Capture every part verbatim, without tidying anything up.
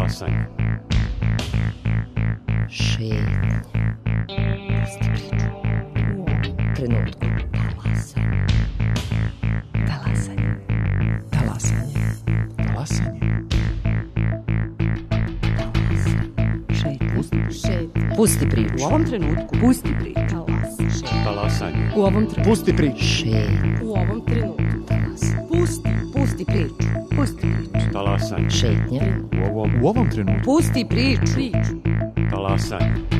Talasanje. Šetnja. Pusti priču. U ovom trenutku. Talasanje. Talasanje. Talasanje. Talasanje. Šetnja. Pusti priču. U ovom trenutku. Pusti priču. Talasanje. U ovom trenutku. Pusti priču. Šetnja. U ovom trenutku. Pusti. Pusti priču. Pusti priču. Talasanje. Šetnja. U ovom, U ovom trenutku. Pusti priču. Priču. talasanje.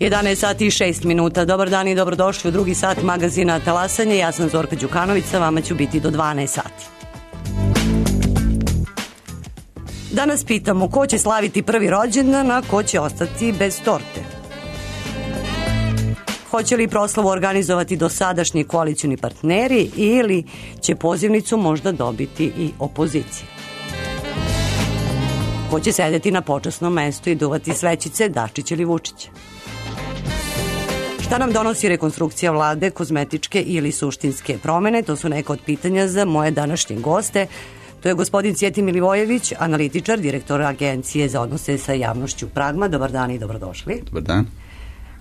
jedanaest sati i šest minuta. Dobar dan i dobrodošli u drugi sat magazina Talasanje. Ja sam Zorka Đukanović, sa vama ću biti do dvanaest sati. Danas pitamo ko će slaviti prvi rođendan, a ko će ostati bez torte. Hoće li proslavu organizovati dosadašnji koalicioni partneri ili će pozivnicu možda dobiti i opozicija? Ko će sedeti na počasnom mestu i duvati svećice, Dačić ili Vučić? Šta nam donosi rekonstrukcija vlade, kozmetičke ili suštinske promene? To su neka od pitanja za moje današnje goste. To je gospodin Cjetin Milivojević, analitičar, direktor Agencije za odnose sa javnošću Pragma. Dobar dan i dobrodošli. Dobar dan.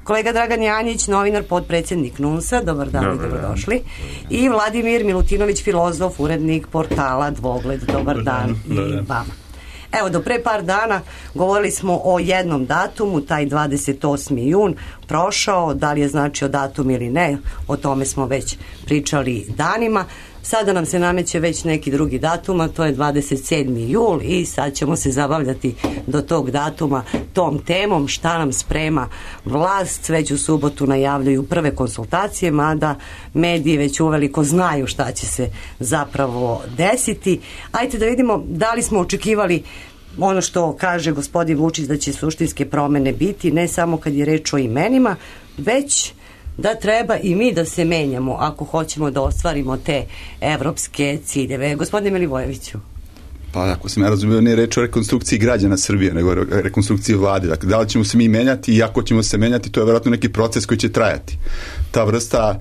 Kolega Dragan Janjić, novinar, potpredsjednik NUNS-a. Dobar dan i dobrodošli. I Vladimir Milutinović, filozof, urednik portala Dvogled. Dobar dan i vama. Evo, do pre par dana govorili smo o jednom datumu, taj dvadeset osmi jun prošao, da li je značio datum ili ne, o tome smo već pričali danima. Sada nam se nameće već neki drugi datum, a to je dvadeset sedmi jul i sad ćemo se zabavljati do tog datuma tom temom šta nam sprema vlast. Već u subotu najavljuju prve konsultacije, mada mediji već uveliko znaju šta će se zapravo desiti. Ajde da vidimo da li smo očekivali ono što kaže gospodin Vučić da će suštinske promene biti, ne samo kad je reč o imenima, već da treba i mi da se menjamo ako hoćemo da ostvarimo te evropske ciljeve. Gospodine Milivojeviću. Pa ako sam ja razumio, ne je reč o rekonstrukciji građana Srbije, nego o rekonstrukciji vlade. Dakle, da li ćemo se mi menjati i ako ćemo se menjati, to je vjerojatno neki proces koji će trajati. Ta vrsta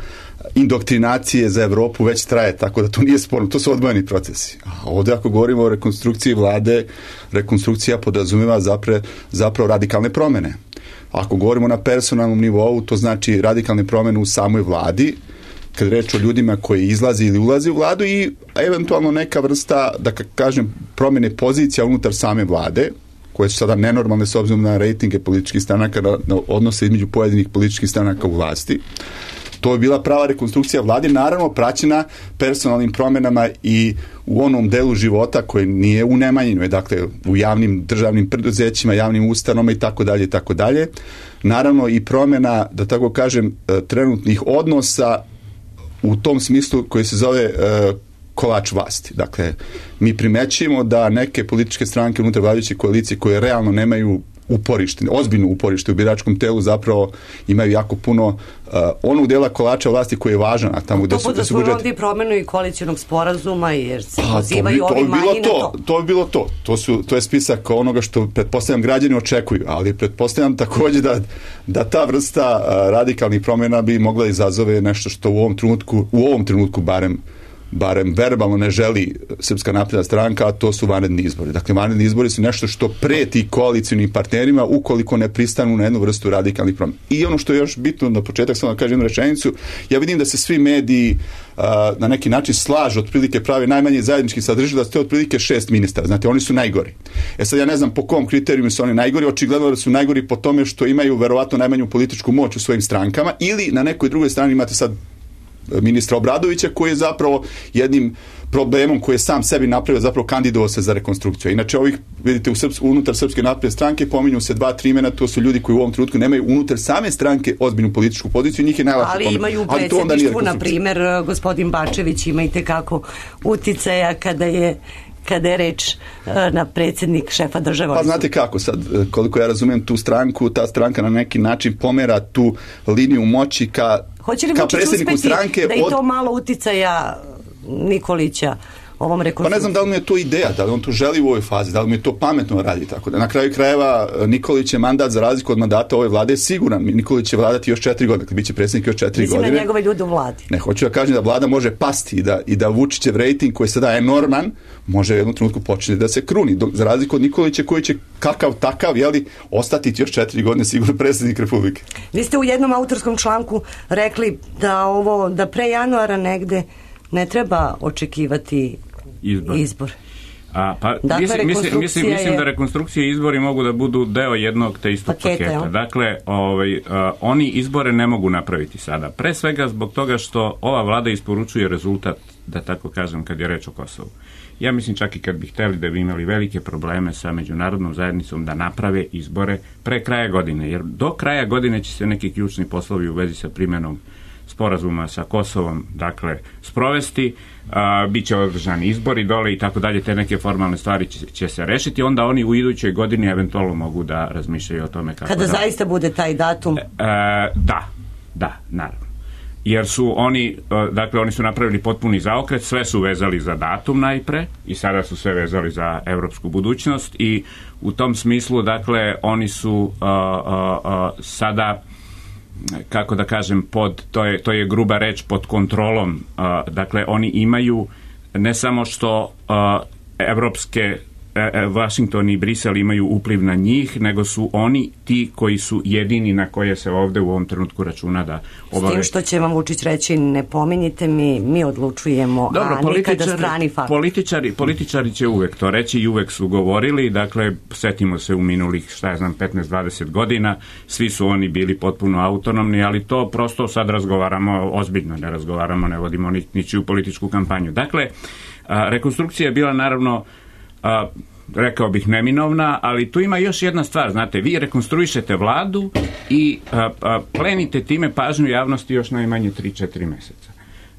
indoktrinacije za Evropu već traje, tako da to nije sporno. To su odvojeni procesi. A ovdje ako govorimo o rekonstrukciji vlade, rekonstrukcija podrazumijeva zapre, zapravo radikalne promjene. Ako govorimo na personalnom nivou, to znači radikalne promjene u samoj vladi, kad reč o ljudima koji izlazi ili ulazi u vladu i eventualno neka vrsta, da kažem, promjene pozicija unutar same vlade, koje su sada nenormalne s obzirom na rejtinge političkih stranaka, na, na odnose između pojedinih političkih stranaka u vlasti. To je bila prava rekonstrukcija vlade, naravno praćena personalnim promjenama i u onom delu života koji nije u nemanjinu, dakle u javnim državnim preduzećima, javnim ustanovama i tako dalje i tako dalje. Naravno i promjena, da tako kažem, trenutnih odnosa u tom smislu koji se zove e, kolač vlasti. Dakle, mi primećujemo da neke političke stranke unutar vladajuće koalicije koje realno nemaju uporište, ozbiljno uporište u biračkom telu, zapravo imaju jako puno uh, onog dela kolača vlasti koji je važan, a tamo gde su, gde su budžet... To bude promjenu i koalicionog sporazuma, jer se pozivaju ovi manji na to. To bi bilo to. To, su, to je spisak onoga što pretpostavljam građani očekuju, ali pretpostavljam također da, da ta vrsta uh, radikalnih promjena bi mogla izazove nešto što u ovom trenutku, u ovom trenutku barem barem verbalno ne želi Srpska napredna stranka, a to su vanredni izbori. Dakle, vanredni izbori su nešto što preti koalicionim partnerima ukoliko ne pristanu na jednu vrstu radikalnih promjena. I ono što je još bitno na početak, samo da kažem jednu rečenicu, ja vidim da se svi mediji uh, na neki način slažu, otprilike pravi najmanje zajednički sadržaj, da ste otprilike šest ministara. Znate, oni su najgori. E sad, ja ne znam po kom kriterijumu su oni najgori, očigledno da su najgori po tome što imaju verovatno najmanju političku moć u svojim strankama ili na nekoj drugoj strani imate sad ministra Obradovića, koji je zapravo jednim problemom koji je sam sebi napravio, zapravo kandidovao se za rekonstrukciju. Inače, ovih, vidite, u Srps, unutar Srpske napredne stranke pominju se dva, tri imena, to su ljudi koji u ovom trenutku nemaju unutar same stranke ozbiljnu političku poziciju, njih je najlakše ali pomenuti. imaju u predsjedništvu, na primjer, gospodin Bačević ima i tekako uticaja kada je kada je reč na predsjednik šefa države. Pa znate kako sad, koliko ja razumijem tu stranku, ta stranka na neki način pomera tu liniju moći ka, ka predsjedniku stranke. Da i to od... malo uticaja Nikolića ovom rekonstrukciju. Pa ne znam da li mi je to ideja, da li on to želi u ovoj fazi, da li mi je to pametno radi, tako da na kraju krajeva Nikolić je mandat za razliku od mandata ove vlade je siguran. Nikolić će vladati još četiri godine, dakle bit će predsjednik još četiri Mislim godine. Mislim na njegove ljude u vladi. Ne, hoću da kažem da vlada može pasti i da, i da Vučićev rejting koji je sada enorman, može u jednom trenutku početi da se kruni. Dok, za razliku od Nikolića koji će kakav takav, jeli, ostati još četiri godine sigurno predsjednik Republike. Vi ste u jednom autorskom članku rekli da ovo, da pre januara negde ne treba očekivati izbor. izbor. A, pa, dakle, mislim, mislim, mislim, mislim je... da rekonstrukcije i izbori mogu da budu deo jednog te istog paketa. paketa. Dakle, ovaj, a, oni izbore ne mogu napraviti sada. Pre svega zbog toga što ova vlada isporučuje rezultat, da tako kažem, kad je reč o Kosovu. Ja mislim čak i kad bi hteli da bi imali velike probleme sa međunarodnom zajednicom da naprave izbore pre kraja godine, jer do kraja godine će se neki ključni poslovi u vezi sa primjenom sporazuma sa Kosovom, dakle, sprovesti, a, bit će održani izbori dole i tako dalje, te neke formalne stvari će, će se rešiti, onda oni u idućoj godini eventualno mogu da razmišljaju o tome kako Kada da... zaista bude taj datum? E, da, da, naravno. Jer su oni, dakle, oni su napravili potpuni zaokret, sve su vezali za datum najpre i sada su sve vezali za evropsku budućnost i u tom smislu, dakle, oni su a, a, a, sada, kako da kažem, pod, to je, to je gruba reč, pod kontrolom. A, dakle, oni imaju ne samo što a, evropske Washington i Brisel imaju upliv na njih, nego su oni ti koji su jedini na koje se ovde u ovom trenutku računa da obave. S tim što će vam Vučić reći, ne pominjite mi, mi odlučujemo, dobro, a nikada strani faktor. Političari, političari će uvek to reći i uvek su govorili, dakle, setimo se u minulih, šta ja znam, petnaest dvadeset godina, svi su oni bili potpuno autonomni, ali to prosto sad razgovaramo ozbiljno, ne razgovaramo, ne vodimo ni, ničiju političku kampanju. Dakle, a, rekonstrukcija je bila naravno A, rekao bih neminovna, ali tu ima još jedna stvar, znate, vi rekonstruišete vladu i a, a, plenite time pažnju javnosti još najmanje tri četiri meseca.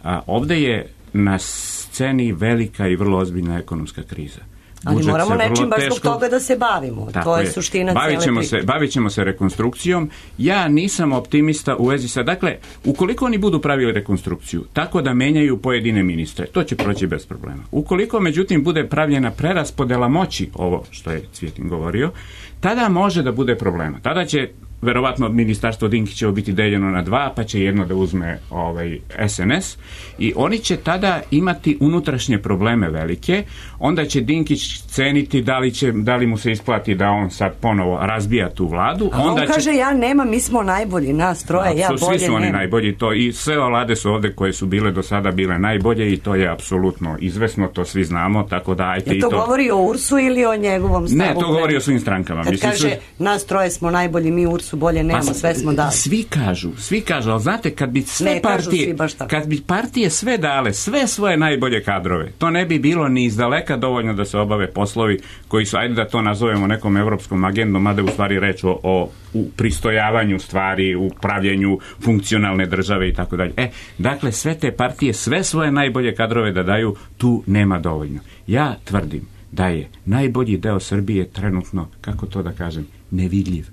A, ovde je na sceni velika i vrlo ozbiljna ekonomska kriza. Ali budžet moramo nečim baš zbog toga da se bavimo. Tako to je, je suština bavit ćemo cele se, bavit ćemo se rekonstrukcijom. Ja nisam optimista u vezi sa... Dakle, ukoliko oni budu pravili rekonstrukciju tako da menjaju pojedine ministre, to će proći bez problema. Ukoliko, međutim, bude pravljena preraspodela moći, ovo što je Cvijetin govorio, tada može da bude problema. Tada će verovatno ministarstvo Dinkićevo biti deljeno na dva, pa će jedno da uzme ovaj S N S i oni će tada imati unutrašnje probleme velike, onda će Dinkić ceniti da li, će, da li mu se isplati da on sad ponovo razbija tu vladu. A onda on kaže, će... ja nema, mi smo najbolji, nas troje, ja bolje nema. Svi su oni najbolji, to i sve vlade su ovde koje su bile do sada bile najbolje i to je apsolutno izvesno, to svi znamo, tako da ajte je i to. to govori o Ursu ili o njegovom stavu? Ne, to govori o svim strankama. Kad Mislim, kaže, su... nas troje smo najbolji, mi Ursu bolje nemamo, pa, sve smo dali. Svi kažu, svi kažu, ali znate, kad bi sve ne, partije, kad bi partije sve dale, sve svoje najbolje kadrove, to ne bi bilo ni izdaleka dovoljno da se obave poslovi koji su, ajde da to nazovemo nekom evropskom agendom, mada u stvari reč o, o u pristojavanju stvari, u pravljenju funkcionalne države i tako dalje. E, dakle, sve te partije, sve svoje najbolje kadrove da daju, tu nema dovoljno. Ja tvrdim da je najbolji deo Srbije trenutno, kako to da kažem, nevidljiv.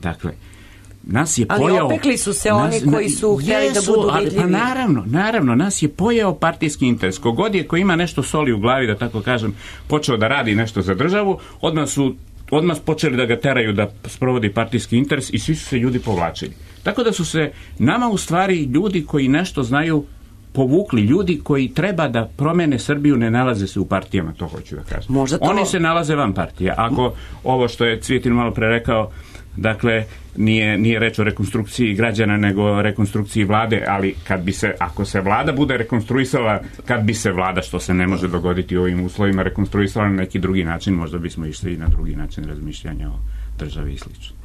Dakle, nas je ali pojao... Ali opekli su se oni nas, koji su htjeli jesu, da budu vidljivi. Pa naravno, naravno, nas je pojao partijski interes. Kogod je ko ima nešto soli u glavi, da tako kažem, počeo da radi nešto za državu, odmah su odmah počeli da ga teraju da sprovodi partijski interes i svi su se ljudi povlačili. Tako da su se nama u stvari ljudi koji nešto znaju povukli, ljudi koji treba da promene Srbiju ne nalaze se u partijama, to hoću da kažem. To... Oni se nalaze van partija. Ako ovo što je Cvijetin malo pre rekao, dakle, nije, nije reč o rekonstrukciji građana, nego o rekonstrukciji vlade, ali kad bi se, ako se vlada bude rekonstruisala, kad bi se vlada, što se ne može dogoditi u ovim uslovima, rekonstruisala na neki drugi način, možda bismo išli i na drugi način razmišljanja o državi i slično.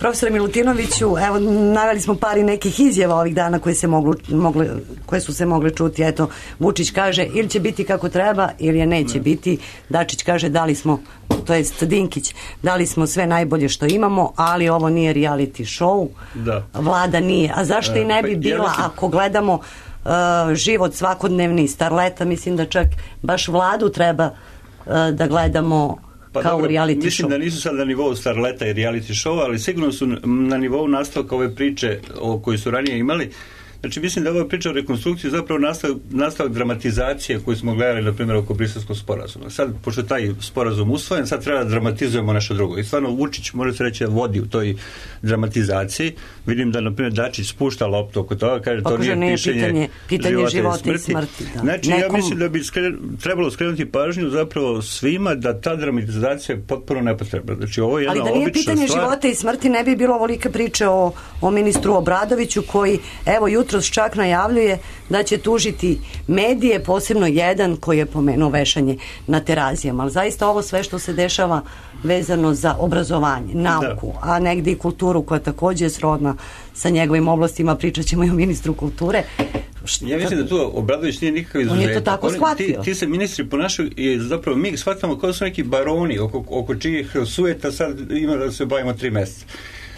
Profesore Milutinoviću, evo, naveli smo par i nekih izjava ovih dana koje, se moglo, mogle, koje su se mogle čuti. Eto, Vučić kaže ili će biti kako treba ili je neće ne. biti. Dačić kaže dali smo, to jest Dinkić, dali smo sve najbolje što imamo, ali ovo nije reality show. Da. Vlada nije. A zašto e, i ne bi bila ja mislim... ako gledamo uh, život svakodnevni starleta, mislim da čak baš Vladu treba uh, da gledamo pa kao dobro, reality mislim show. Da nisu sad na nivou starleta i reality show, ali sigurno su na nivou nastavka ove priče o kojoj su ranije imali. Znači, mislim da ova priča o rekonstrukciji zapravo nastavak, nastavak dramatizacije koju smo gledali, na primjer, oko Briselskog sporazuma. Sad, pošto taj sporazum usvojen, sad treba da dramatizujemo nešto drugo. I stvarno, Vučić, može se reći, vodi u toj dramatizaciji. Vidim da, na primjer, Dačić spušta loptu oko toga, kaže, to nije, nije pišenje pitanje, pitanje života, života i smrti. I smrti da. Znači, Nekom... ja mislim da bi skre, trebalo skrenuti pažnju zapravo svima da ta dramatizacija je potpuno nepotrebna. Znači, ovo je jedna ali da nije pitanje stvar... života i smrti, ne bi bilo ovolike priče o, o ministru Obradoviću, koji, evo, jutro čak najavljuje da će tužiti medije, posebno jedan koji je pomenuo vešanje na Terazijama. Ali zaista ovo sve što se dešava vezano za obrazovanje, nauku, da. a negde i kulturu koja takođe je srodna sa njegovim oblastima, pričat ćemo i o ministru kulture. Šta? Ja mislim da tu Obradović nije nikakav izuzetak. On je to tako Oni, shvatio. Ti, ti se ministri ponašaju i zapravo mi shvatamo kao su neki baroni oko, oko čijih sujeta sad ima da se bavimo tri meseca.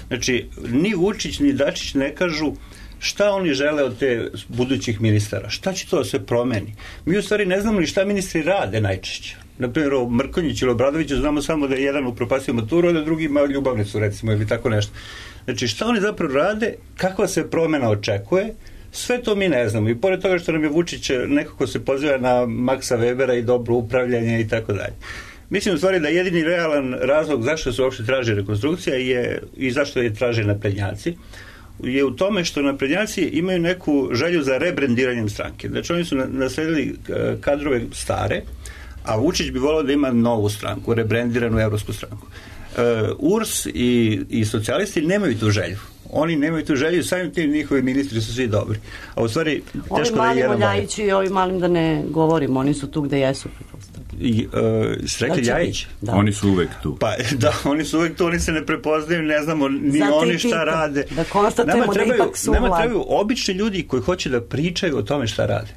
Znači, ni Vučić ni Dačić ne kažu šta oni žele od te budućih ministara? Šta će to da se promeni? Mi u stvari ne znamo ni šta ministri rade najčešće. Naprimjer, o Mrkonjiću ili Obradoviću znamo samo da je jedan upropastio maturu, a da drugi ima ljubavnicu, recimo, ili tako nešto. Znači, šta oni zapravo rade, kakva se promena očekuje, sve to mi ne znamo. I pored toga što nam je Vučić nekako se poziva na Maxa Webera i dobro upravljanje i tako dalje. Mislim u stvari da jedini realan razlog zašto se uopšte traži rekonstrukcija je, i zašto je traže naprednjaci, je u tome što naprednjaci imaju neku želju za rebrendiranjem stranke. Znači oni su nasledili kadrove stare, a Vučić bi volao da ima novu stranku, rebrendiranu evropsku stranku. U R S i, i socijalisti nemaju tu želju. Oni nemaju tu želju, samim tim njihovi ministri su svi dobri. A u stvari, teško da je jedan Ovi mali Ljajići i ovi malim da ne govorimo, oni su tu gde jesu. I, uh, Srekli Ljajić? Da. Oni su uvek tu. Pa da, oni su uvek tu, oni se ne prepoznaju, ne znamo ni Zato oni šta pita, rade. Da konstatujemo da ipak su Nama trebaju obični ljudi koji hoće da pričaju o tome šta rade.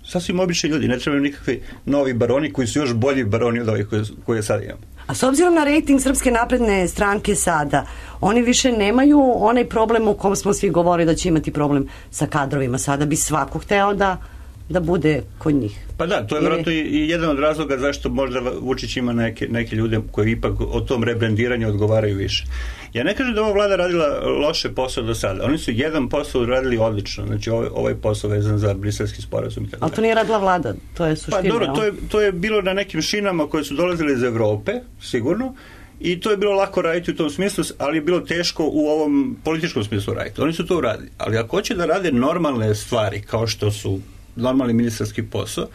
Sasvim obični ljudi, ne trebaju nikakvi novi baroni koji su još bolji baroni od ovih koje, koje sad imamo. A s obzirom na rejting Srpske napredne stranke sada, oni više nemaju onaj problem u kom smo svi govorili da će imati problem sa kadrovima. Sada bi svako hteo da da bude kod njih. Pa da, to je vjerojatno i jedan od razloga zašto možda Vučić ima neke, neke ljude koji ipak o tom rebrendiranju odgovaraju više. Ja ne kažem da ova vlada radila loše posao do sada. Oni su jedan posao radili odlično. Znači ovaj, ovaj posao vezan za briselski sporazum. Ali to nije radila vlada, to je suština. Pa dobro, to je, to je bilo na nekim šinama koje su dolazile iz Evrope, sigurno. I to je bilo lako raditi u tom smislu, ali je bilo teško u ovom političkom smislu raditi. Oni su to uradili. Ali ako hoće da rade normalne stvari, kao što su normalni ministarski posao,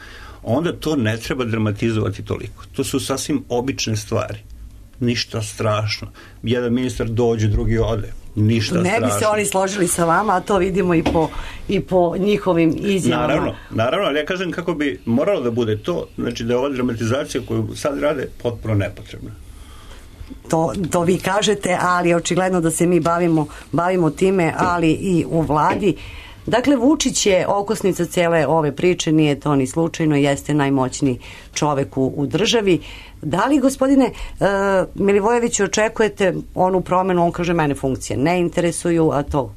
onda to ne treba dramatizovati toliko. To su sasvim obične stvari. Ništa strašno. Jedan ministar dođe, drugi ode. Ništa ne strašno. Ne bi se oni složili sa vama, a to vidimo i po, i po njihovim izjavama. Naravno, naravno, ali ja kažem kako bi moralo da bude to, znači da je ova dramatizacija koju sad rade potpuno nepotrebna. To, to vi kažete, ali očigledno da se mi bavimo, bavimo time, ali i u vladi. Dakle, Vučić je okosnica cele ove priče, nije to ni slučajno, jeste najmoćniji čovek u, u državi. Da li, gospodine uh, Milivojeviću, očekujete onu promenu? On kaže, mene funkcije ne interesuju, a to,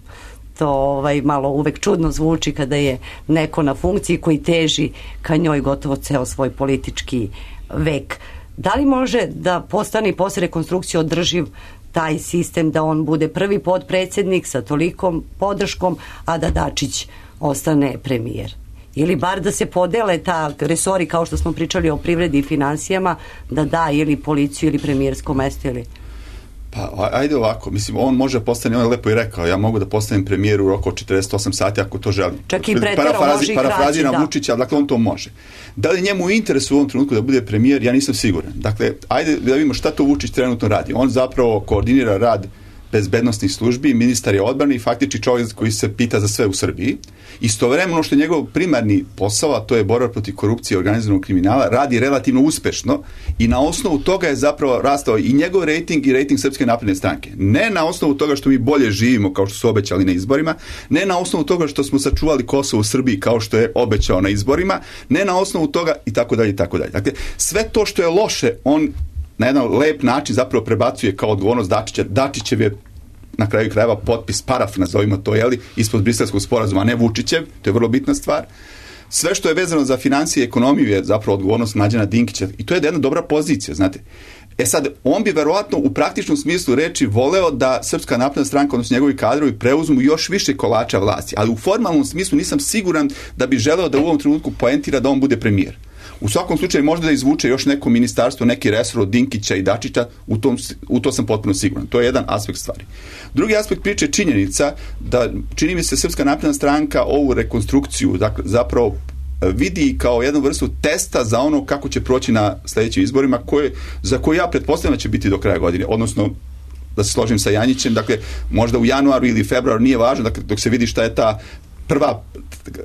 to ovaj, malo uvek čudno zvuči kada je neko na funkciji koji teži ka njoj gotovo ceo svoj politički vek. Da li može da postane i posle rekonstrukcije održiv taj sistem da on bude prvi potpredsednik sa tolikom podrškom, a da Dačić ostane premijer? Ili bar da se podele ta resori, kao što smo pričali o privredi i finansijama, da da ili policiju ili premijersko mesto ili... Pa ajde ovako, mislim, on može postane, on je lepo i rekao, ja mogu da postanem premijer u roku od četrdeset osam sati ako to želim. Čak i pretero može i kraći, parafraziram Vučića, dakle on to može. Da li njemu interes u ovom trenutku da bude premijer, ja nisam siguran. Dakle, ajde da vidimo šta to Vučić trenutno radi. On zapravo koordinira rad bezbednostnih službi, ministar je odbrane i faktički čovjek koji se pita za sve u Srbiji. Istovremeno što je njegov primarni posao, a to je borba protiv korupcije i organizovanog kriminala, radi relativno uspešno i na osnovu toga je zapravo rastao i njegov rejting i rejting Srpske napredne stranke. Ne na osnovu toga što mi bolje živimo kao što su obećali na izborima, ne na osnovu toga što smo sačuvali Kosovo u Srbiji kao što je obećao na izborima, ne na osnovu toga i tako dalje i tako dalje. Dakle, sve to što je loše, on na jedan lep način zapravo prebacuje kao odgovornost Dačića. Dačićev je na kraju krajeva potpis, paraf, nazovimo to, jeli, ispod briselskog sporazuma, a ne Vučićev, to je vrlo bitna stvar. Sve što je vezano za financije i ekonomiju je zapravo odgovornost Mlađana Dinkića i to je jedna dobra pozicija, znate. E sad, on bi verovatno u praktičnom smislu reči voleo da Srpska napredna stranka, odnosno njegovi kadrovi, preuzmu još više kolača vlasti, ali u formalnom smislu nisam siguran da bi želeo da u ovom trenutku poentira da on bude premijer. U svakom slučaju možda da izvuče još neko ministarstvo, neki resor od Dinkića i Dačića, u, tom, u to sam potpuno siguran. To je jedan aspekt stvari. Drugi aspekt priče je činjenica da, čini mi se, Srpska napredna stranka ovu rekonstrukciju dakle, zapravo vidi kao jednu vrstu testa za ono kako će proći na sljedećim izborima, koje, za koje ja pretpostavljam da će biti do kraja godine, odnosno da se složim sa Janjićem, dakle možda u januaru ili februaru, nije važno, dakle, dok se vidi šta je ta prva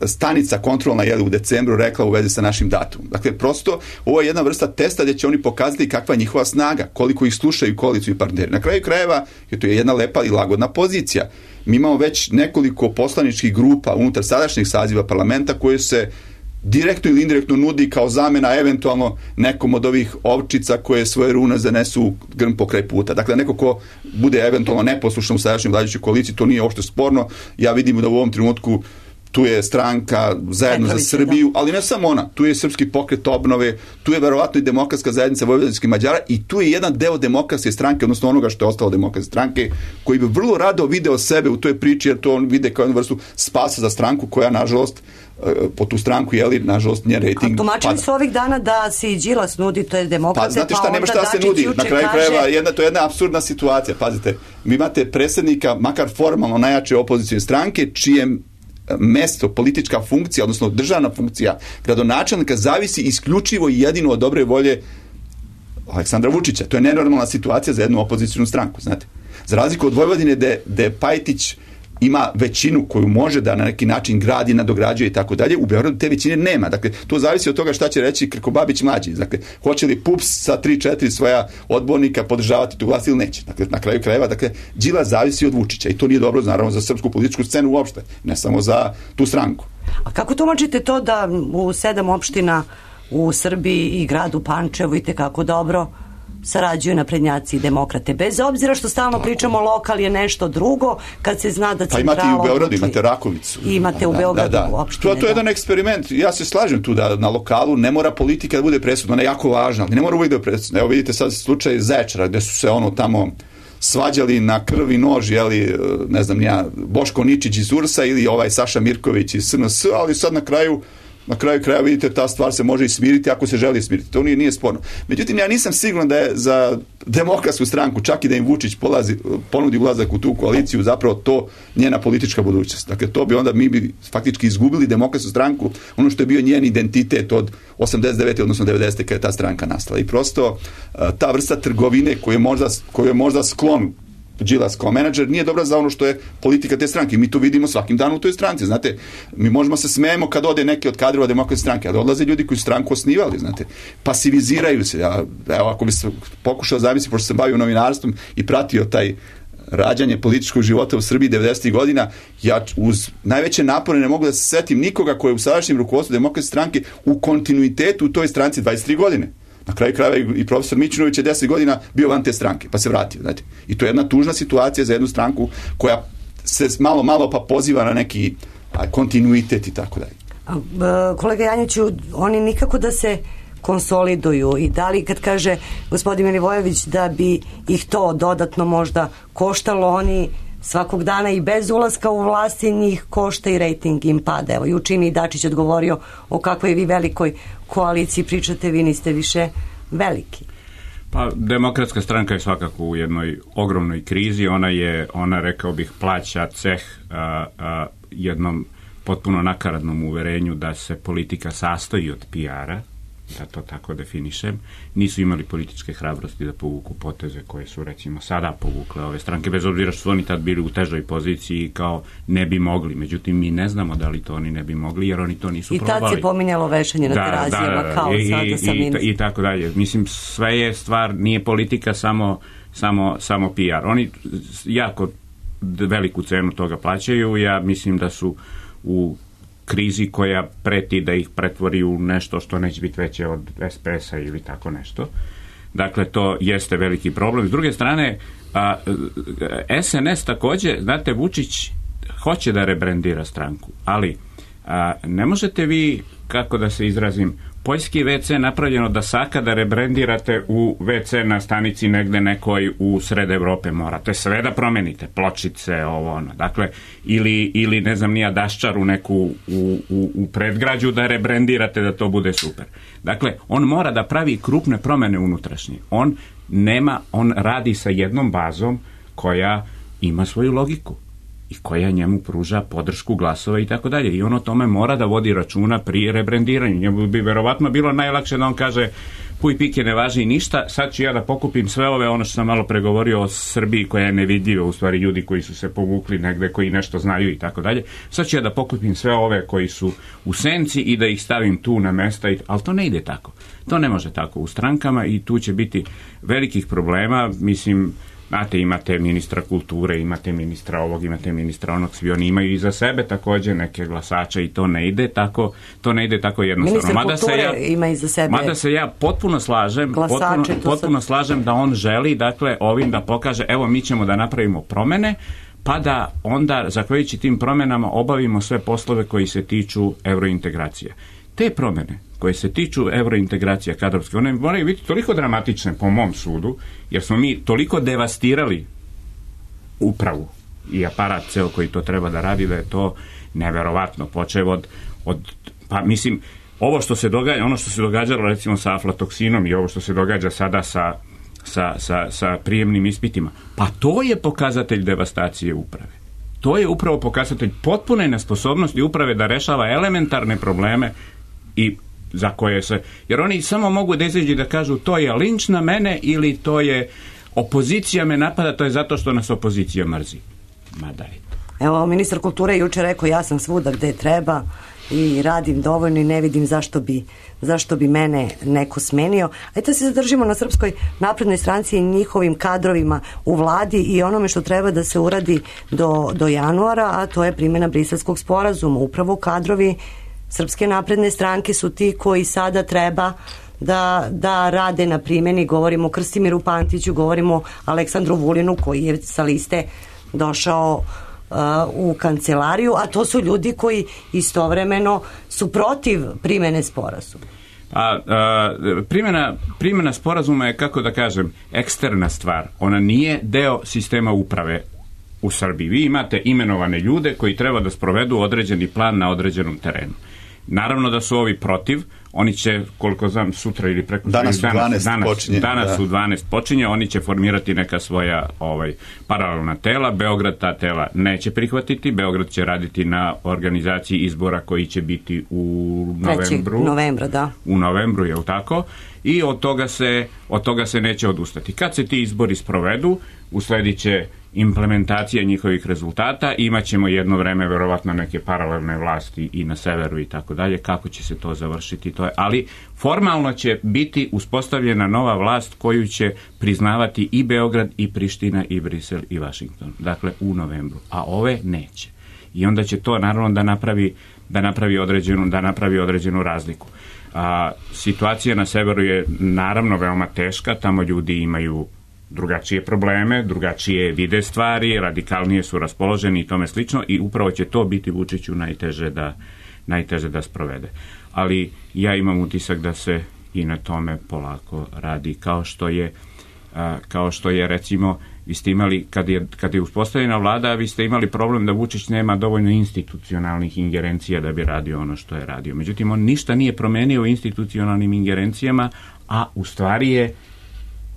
stanica kontrolna je u decembru rekla u vezi sa našim datumom. Dakle, prosto ovo je jedna vrsta testa gdje će oni pokazati kakva je njihova snaga, koliko ih slušaju koalicioni partneri. Na kraju krajeva, jer to je jedna lepa i lagodna pozicija. Mi imamo već nekoliko poslaničkih grupa unutar sadašnjeg saziva parlamenta koje se direktno ili indirektno nudi kao zamena eventualno nekom od ovih ovčica koje svoje rune zanesu u grm pokraj puta. Dakle, neko ko bude eventualno neposlušan u sadašnjoj vladajućoj koaliciji, to nije uopšte sporno. Ja vidim da u ovom trenutku tu je stranka Zajedno za Srbiju, ali ne samo ona, tu je Srpski pokret obnove, tu je verovatno i Demokratska zajednica vojvođanskih Mađara i tu je jedan deo Demokratske stranke, odnosno onoga što je ostalo Demokratske stranke, koji bi vrlo rado video sebe u toj priči, jer to on vide kao jednu vrstu spasa za stranku koja, nažalost, po tu stranku, jeli, nažalost, njen rejting. A tumačili su ovih dana da se i Đilas nudi, to je Demokrate, pa znate šta, pa nema šta se nudi. Na kraju kaže... krajeva, jedna, to je jedna apsurdna situacija. Pazite, vi imate predsjednika, makar formalno najjače opozicijne stranke, čije mesto, politička funkcija, odnosno državna funkcija gradonačelnika zavisi isključivo i jedino od dobre volje Aleksandra Vučića. To je nenormalna situacija za jednu opozicijnu stranku, znate. Za razliku od Vojvodine gde Pajtić ima većinu koju može da na neki način gradi, nadograđuje i tako dalje, u Beogradu te većine nema. Dakle, to zavisi od toga šta će reći Krkobabić mlađi. Dakle, hoće li P U P S sa tri četiri svoja odbornika podržavati tu vlast ili neće. Dakle, na kraju krajeva, dakle, Đilas zavisi od Vučića i to nije dobro, naravno, za srpsku političku scenu uopšte, ne samo za tu stranku. A kako tumačite to da u sedam opština u Srbiji i gradu Pančevu i tekako dobro sarađuju naprednjaci i demokrate, bez obzira što stalno pričamo lokal je nešto drugo, kad se zna da centrala... Pa imate i u Beogradu, imate Rakovicu. I imate u Beogradu da, da. opštine. To, to je jedan eksperiment. Ja se slažem tu da na lokalu ne mora politika da bude presudna, ona je jako važna, ali ne mora uvijek da je presudna. Evo vidite sad slučaj Zečara, gde su se ono tamo svađali na krv i nož, jeli, ne znam ja, Boško Ničić iz U R S-a ili ovaj Saša Mirković iz S N S, ali sad na kraju Na kraju kraja vidite, ta stvar se može i smiriti ako se želi smiriti. To nije, nije sporno. Međutim, ja nisam siguran da je za Demokratsku stranku, čak i da im Vučić polazi, ponudi ulazak u tu koaliciju, zapravo to njena politička budućnost. Dakle, to bi onda, mi bi faktički izgubili Demokratsku stranku, ono što je bio njen identitet od osamdeset devete odnosno devedesete kada je ta stranka nastala. I prosto ta vrsta trgovine koju je možda, koju je možda sklon Đilas kao menadžer nije dobra za ono što je politika te stranke. Mi to vidimo svakim danom u toj stranci, znate. Mi možemo se smejemo kad ode neki od kadrova Demokratske stranke, ali odlaze ljudi koji su stranku osnivali, znate. Pasiviziraju se. Ja, evo, ako bi se pokušao zamisliti, pošto sam bavio novinarstvom i pratio taj rađanje političkog života u Srbiji devedesetih godina, ja uz najveće napore ne mogu da se setim nikoga koji je u sadašnjem rukovodstvu Demokratske stranke u kontinuitetu u toj stranci dvadeset tri godine. Na kraju krajeva i profesor Mićunović je deset godina bio van te stranke, pa se vratio. Znate. I to je jedna tužna situacija za jednu stranku koja se malo, malo pa poziva na neki kontinuitet i tako dalje. Kolega Janjiću, oni nikako da se konsoliduju i da li kad kaže gospodin Milivojević da bi ih to dodatno možda koštalo, oni svakog dana i bez ulaska u vlasti njih košta i rejting im pada. Evo, juče mi Dačić odgovorio o kakvoj vi velikoj koaliciji pričate, vi niste više veliki. Pa Demokratska stranka je svakako u jednoj ogromnoj krizi, ona je, ona rekao bih, plaća ceh a, a, jednom potpuno nakaradnom uverenju da se politika sastoji od P R-a da to tako definišem, nisu imali političke hrabrosti da povuku poteze koje su recimo sada povukle ove stranke, bez obzira što su oni tad bili u težoj poziciji kao ne bi mogli. Međutim, mi ne znamo da li to oni ne bi mogli, jer oni to nisu I probali. I tad se pominjalo vešanje na da, terazijama, da, da, kao i, sada sa i, ministrom. I tako dalje. Mislim, sve je stvar, nije politika samo, samo, samo P R. Oni jako veliku cenu toga plaćaju. Ja mislim da su u krizi koja preti da ih pretvori u nešto što neće biti veće od S P S-a ili tako nešto. Dakle, to jeste veliki problem. S druge strane, a, S N S također, znate, Vučić hoće da rebrandira stranku, ali a, ne možete vi, kako da se izrazim, poljski ve ce napravljeno da saka da rebrendirate u ve ce na stanici negde nekoj u sred Evrope, morate sve da promenite, pločice, ovo ono, dakle, ili, ili ne znam nija daščaru neku u, u, u predgrađu da rebrendirate da to bude super. Dakle, on mora da pravi krupne promene unutrašnje. On nema, on radi sa jednom bazom koja ima svoju logiku i koja njemu pruža podršku glasova i tako dalje. I on o tome mora da vodi računa pri rebrendiranju. Njemu bi verovatno bilo najlakše da on kaže puj pike ne važi ništa, sad ću ja da pokupim sve ove, ono što sam malo pregovorio o Srbiji koja je nevidljiva, u stvari ljudi koji su se povukli negde, koji nešto znaju i tako dalje. Sad ću ja da pokupim sve ove koji su u senci i da ih stavim tu na mesta, i, ali to ne ide tako. To ne može tako u strankama i tu će biti velikih problema. Mislim, znate, imate ministra kulture, imate ministra ovog, imate ministra onog, svi oni imaju iza sebe također neke glasače i to ne ide tako, to ne ide tako jednostavno. Ministar mada kulture se ja, ima iza sebe mada se ja potpuno slažem, glasače, potpuno, potpuno sad... slažem da on želi, dakle, ovim da pokaže, evo mi ćemo da napravimo promene, pa da onda, zahvaljujući tim promenama, obavimo sve poslove koji se tiču eurointegracija. Te promene koje se tiču eurointegracija kadrovske, one moraju biti toliko dramatične po mom sudu, jer smo mi toliko devastirali upravu i aparat ceo koji to treba da radi, da je to neverovatno, počev od, od pa mislim, ovo što se događa, ono što se događalo recimo sa aflatoksinom i ovo što se događa sada sa, sa, sa, sa prijemnim ispitima, pa to je pokazatelj devastacije uprave. To je upravo pokazatelj potpune nesposobnosti uprave da rešava elementarne probleme i za koje se, jer oni samo mogu da izađu da kažu to je linč na mene ili to je opozicija me napada, to je zato što nas opozicija mrzi. Ma daj. Evo, ministar kulture je juče rekao ja sam svuda gde treba i radim dovoljno i ne vidim zašto bi, zašto bi mene neko smenio. Ajde se zadržimo na Srpskoj naprednoj stranci i njihovim kadrovima u vladi i onome što treba da se uradi do, do januara, a to je primjena Briselskog sporazuma. Upravo kadrovi Srpske napredne stranke su ti koji sada treba da, da rade na primjeni. Govorimo o Krstimiru Pantiću, govorimo o Aleksandru Vulinu koji je sa liste došao uh, u kancelariju, a to su ljudi koji istovremeno su protiv primjene sporazuma. A, a primjena, primjena sporazuma je, kako da kažem, eksterna stvar. Ona nije deo sistema uprave u Srbiji. Vi imate imenovane ljude koji treba da sprovedu određeni plan na određenom terenu. Naravno da su ovi protiv, oni će, koliko znam, sutra ili preko danas, danas, danas, danas, počinje, danas da. u dvanaest počinje, oni će formirati neka svoja ovaj, paralelna tela. Beograd ta tela neće prihvatiti, Beograd će raditi na organizaciji izbora koji će biti u novembru. Novembra, da. U novembru, je li tako? I od toga se, od toga se neće odustati. Kad se ti izbori sprovedu, usledit će implementacija njihovih rezultata, imat ćemo jedno vreme verovatno neke paralelne vlasti i na severu i tako dalje, kako će se to završiti, to je, ali formalno će biti uspostavljena nova vlast koju će priznavati i Beograd i Priština i Brisel i Vašington, dakle u novembru, a ove neće. I onda će to naravno da napravi, da napravi određenu, da napravi određenu razliku. A, situacija na severu je naravno veoma teška, tamo ljudi imaju drugačije probleme, drugačije vide stvari, radikalnije su raspoloženi i tome slično i upravo će to biti Vučiću najteže da, najteže da sprovede. Ali ja imam utisak da se i na tome polako radi, kao što je, a, kao što je recimo, vi ste imali, kad je, kad je uspostavljena vlada, vi ste imali problem da Vučić nema dovoljno institucionalnih ingerencija da bi radio ono što je radio. Međutim, on ništa nije promenio u institucionalnim ingerencijama, a u stvari je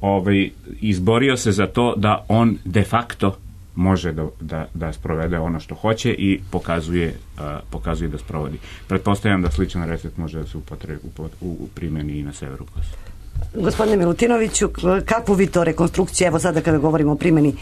ovaj, izborio se za to da on de facto može da, da, da sprovede ono što hoće i pokazuje, uh, pokazuje da sprovodi. Pretpostavljam da sličan recept može da se upotrebi u, u, u primjeni i na severu Kosova. Gospodine Milutinoviću, kakvu vi to rekonstrukciju, evo sada kada govorimo o primjeni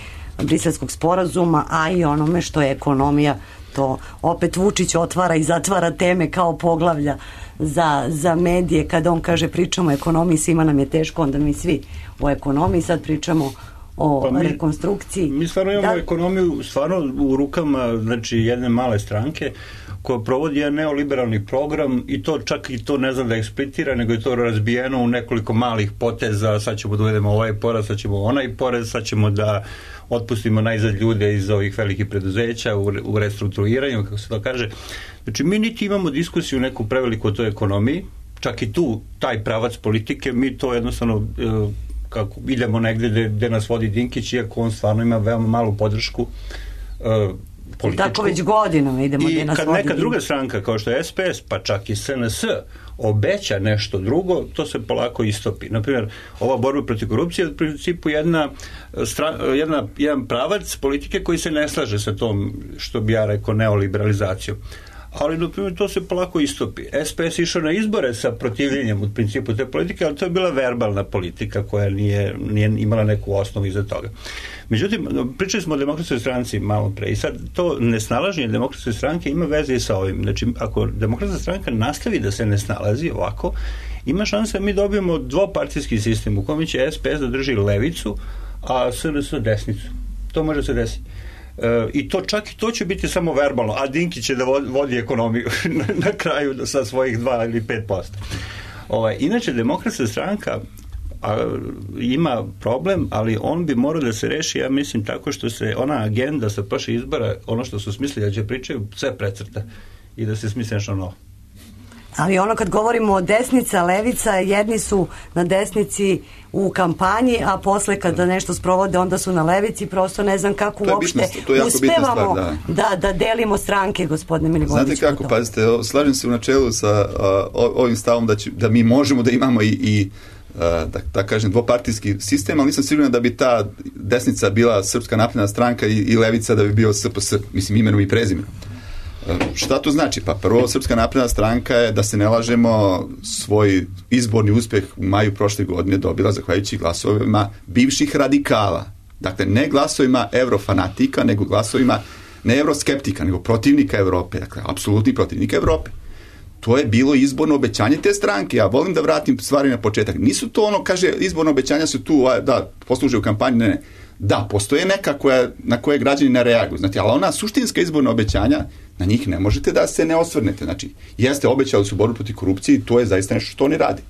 Briselskog sporazuma, a i onome što je ekonomija, to opet Vučić otvara i zatvara teme kao poglavlja za, za medije, kada on kaže pričamo o ekonomiji, svima nam je teško, onda mi svi o ekonomiji, sad pričamo o pa mi, rekonstrukciji. Mi stvarno imamo da, ekonomiju stvarno u rukama, znači, jedne male stranke koja provodi jedan neoliberalni program i to čak i to ne znam da eksplicitira, nego je to razbijeno u nekoliko malih poteza, sad ćemo da uvedemo ovaj porez, sad ćemo onaj porez, sad ćemo da otpustimo najzad ljude iz ovih velikih preduzeća u, u restrukturiranju, kako se to kaže. Znači, mi niti imamo diskusiju neku preveliku o toj ekonomiji, čak i tu, taj pravac politike, mi to jednostavno e, kako idemo negde gde, gde nas vodi Dinkić, iako on stvarno ima veoma malu podršku e, političku. Tako već godinama idemo gde nas vodi. I kad neka druga stranka, kao što je S P S, pa čak i S N S, obeća nešto drugo, to se polako istopi. Naprimjer, ova borba protiv korupcije je u principu jedna, jedna, jedan pravac politike koji se ne slaže sa tom, što bi ja rekao, neoliberalizacijom. Ali, na primjer, to se polako istopi. S P S išao na izbore sa protivljenjem u principu te politike, ali to je bila verbalna politika koja nije, nije imala neku osnovu iza toga. Međutim, pričali smo o demokratskoj stranci malo pre i sad to nesnalaženje demokratske stranke ima veze i sa ovim. Znači, ako demokratska stranka nastavi da se ne snalazi ovako, ima šanse da mi dobijemo dvopartijski sistem u kojem će S P S da drži levicu, a S N S desnicu. To može se desiti. E, i to čak i to će biti samo verbalno, a Dinkić će da vodi ekonomiju na, na kraju sa svojih dva ili pet posto. Ovaj, inače, demokratska stranka a, ima problem, ali on bi morao da se reši, ja mislim, tako što se ona agenda sa prošle izbora, ono što su smislili da će pričaju, sve precrta i da se smisli nešto novo. Ali ono kad govorimo o desnica, levica, jedni su na desnici u kampanji, a posle kada nešto sprovode, onda su na levici, prosto ne znam kako uopšte uspevamo da. Da, da delimo stranke, gospodine Milivojnić. Znate kako, pazite, slažem se u načelu sa uh, ovim stavom da, će, da mi možemo da imamo i, i uh, da, da kažem, dvopartijski sistem, ali nisam siguran da bi ta desnica bila Srpska napredna stranka i, i levica da bi bio S P S, mislim, imenom i prezimenom. Šta to znači? Pa prvo, Srpska napredna stranka je, da se ne lažemo, svoj izborni uspjeh u maju prošle godine dobila zahvaljujući glasovima bivših radikala. Dakle, ne glasovima evrofanatika, nego glasovima ne evroskeptika, nego protivnika Evrope. Dakle, apsolutni protivnika Evrope. To je bilo izborno obećanje te stranke. Ja volim da vratim stvari na početak. Nisu to ono, kaže, izborno obećanja su tu, da, posluže u kampanji, ne, ne. Da, postoje neka koja, na koje građani ne reaguju. Znači, ali ona suštinska izborna obećanja, na njih ne možete da se ne osvrnete. Znači, jeste, obećali su borbu protiv korupcije i to je zaista nešto što oni radi.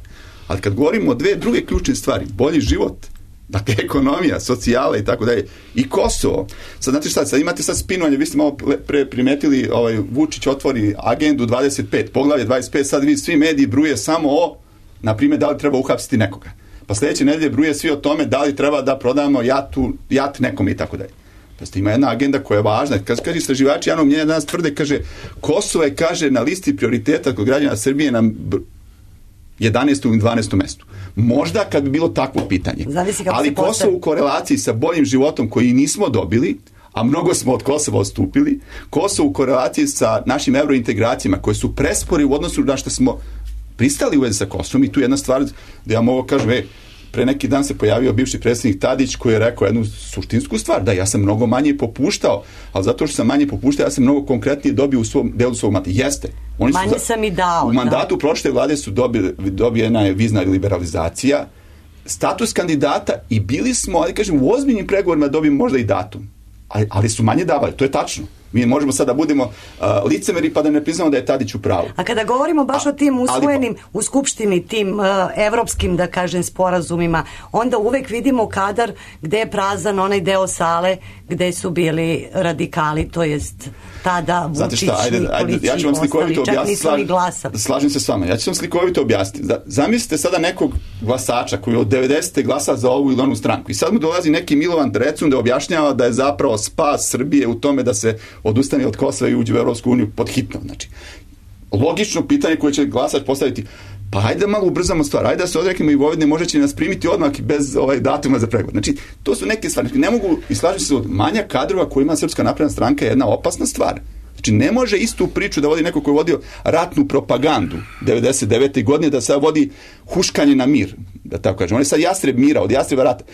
Ali kad govorimo o dve druge ključne stvari, bolji život, dakle, ekonomija, socijala i tako dalje, i Kosovo. Sad, znate šta, sad imate sad spinovanje, vi ste malo pre primetili, ovaj, Vučić otvori agendu dvadeset pet, poglavlje dvadeset pet, sad vi svi mediji bruje samo o, na primjer, da li treba uhapsiti nekoga. Pa sljedeće nedelje bruje svi o tome da li treba da prodamo jatu, jat nekome i tako dalje. Pa ste, ima jedna agenda koja je važna. Kad kaže istraživači javnog mnjenja danas tvrde, kaže, Kosovo je, kaže, na listi prioriteta kod građana Srbije na jedanaestom i dvanaestom mestu. Možda kad bi bilo takvo pitanje. Ali Kosovo u korelaciji sa boljim životom koji nismo dobili, a mnogo smo od Kosova odstupili, Kosovo u korelaciji sa našim eurointegracijama koje su prespori u odnosu na što smo pristali u vezi sa Kosovom, i tu jedna stvar da ja mogu kažem, e, pre neki dan se pojavio bivši predsjednik Tadić koji je rekao jednu suštinsku stvar, da ja sam mnogo manje popuštao, ali zato što sam manje popuštao, ja sam mnogo konkretnije dobio u svom delu svog mandata. Jeste. Oni manje su, sam i dao. U mandatu da. prošle vlade su dobili, dobijena je vizna liberalizacija, status kandidata i bili smo, ali kažem, u ozbiljnim pregovorima dobijemo možda i datum. Ali, ali su manje davali, to je tačno. Mi možemo sada da budemo uh, licemeri pa da ne priznamo da je Tadić u pravu. A kada govorimo baš A, o tim usvojenim ali, u Skupštini, tim uh, evropskim, da kažem, sporazumima, onda uvek vidimo kadar gde je prazan onaj deo sale gde su bili radikali, to jest tada Vučić i Nikolić ja ću vam slikovito objasniti, slažem, slažem se s vama, ja ću vam slikovito objasniti. Da, zamislite sada nekog glasača koji od devedesete glasa za ovu ili onu stranku i sad mu dolazi neki Milovan Drecun da objašnjava da je zapravo spas Srbije u tome da se odustane od Kosova i uđe u Evropsku uniju pod hitno. Znači, logično pitanje koje će glasač postaviti, Pa hajde da malo ubrzamo stvar, hajde da se odreknemo i Vojvodine, može će nas primiti odmah bez ovaj datuma za pregovor. Znači, to su neke stvari. Ne mogu, i slažem se, manjak kadrova koji ima Srpska napredna stranka je jedna opasna stvar. Znači, ne može istu priču da vodi neko koji je vodio ratnu propagandu devedeset devete godine, da sad vodi huškanje na mir, da tako kažem. On je sad jastreb mira, od jastreba rata.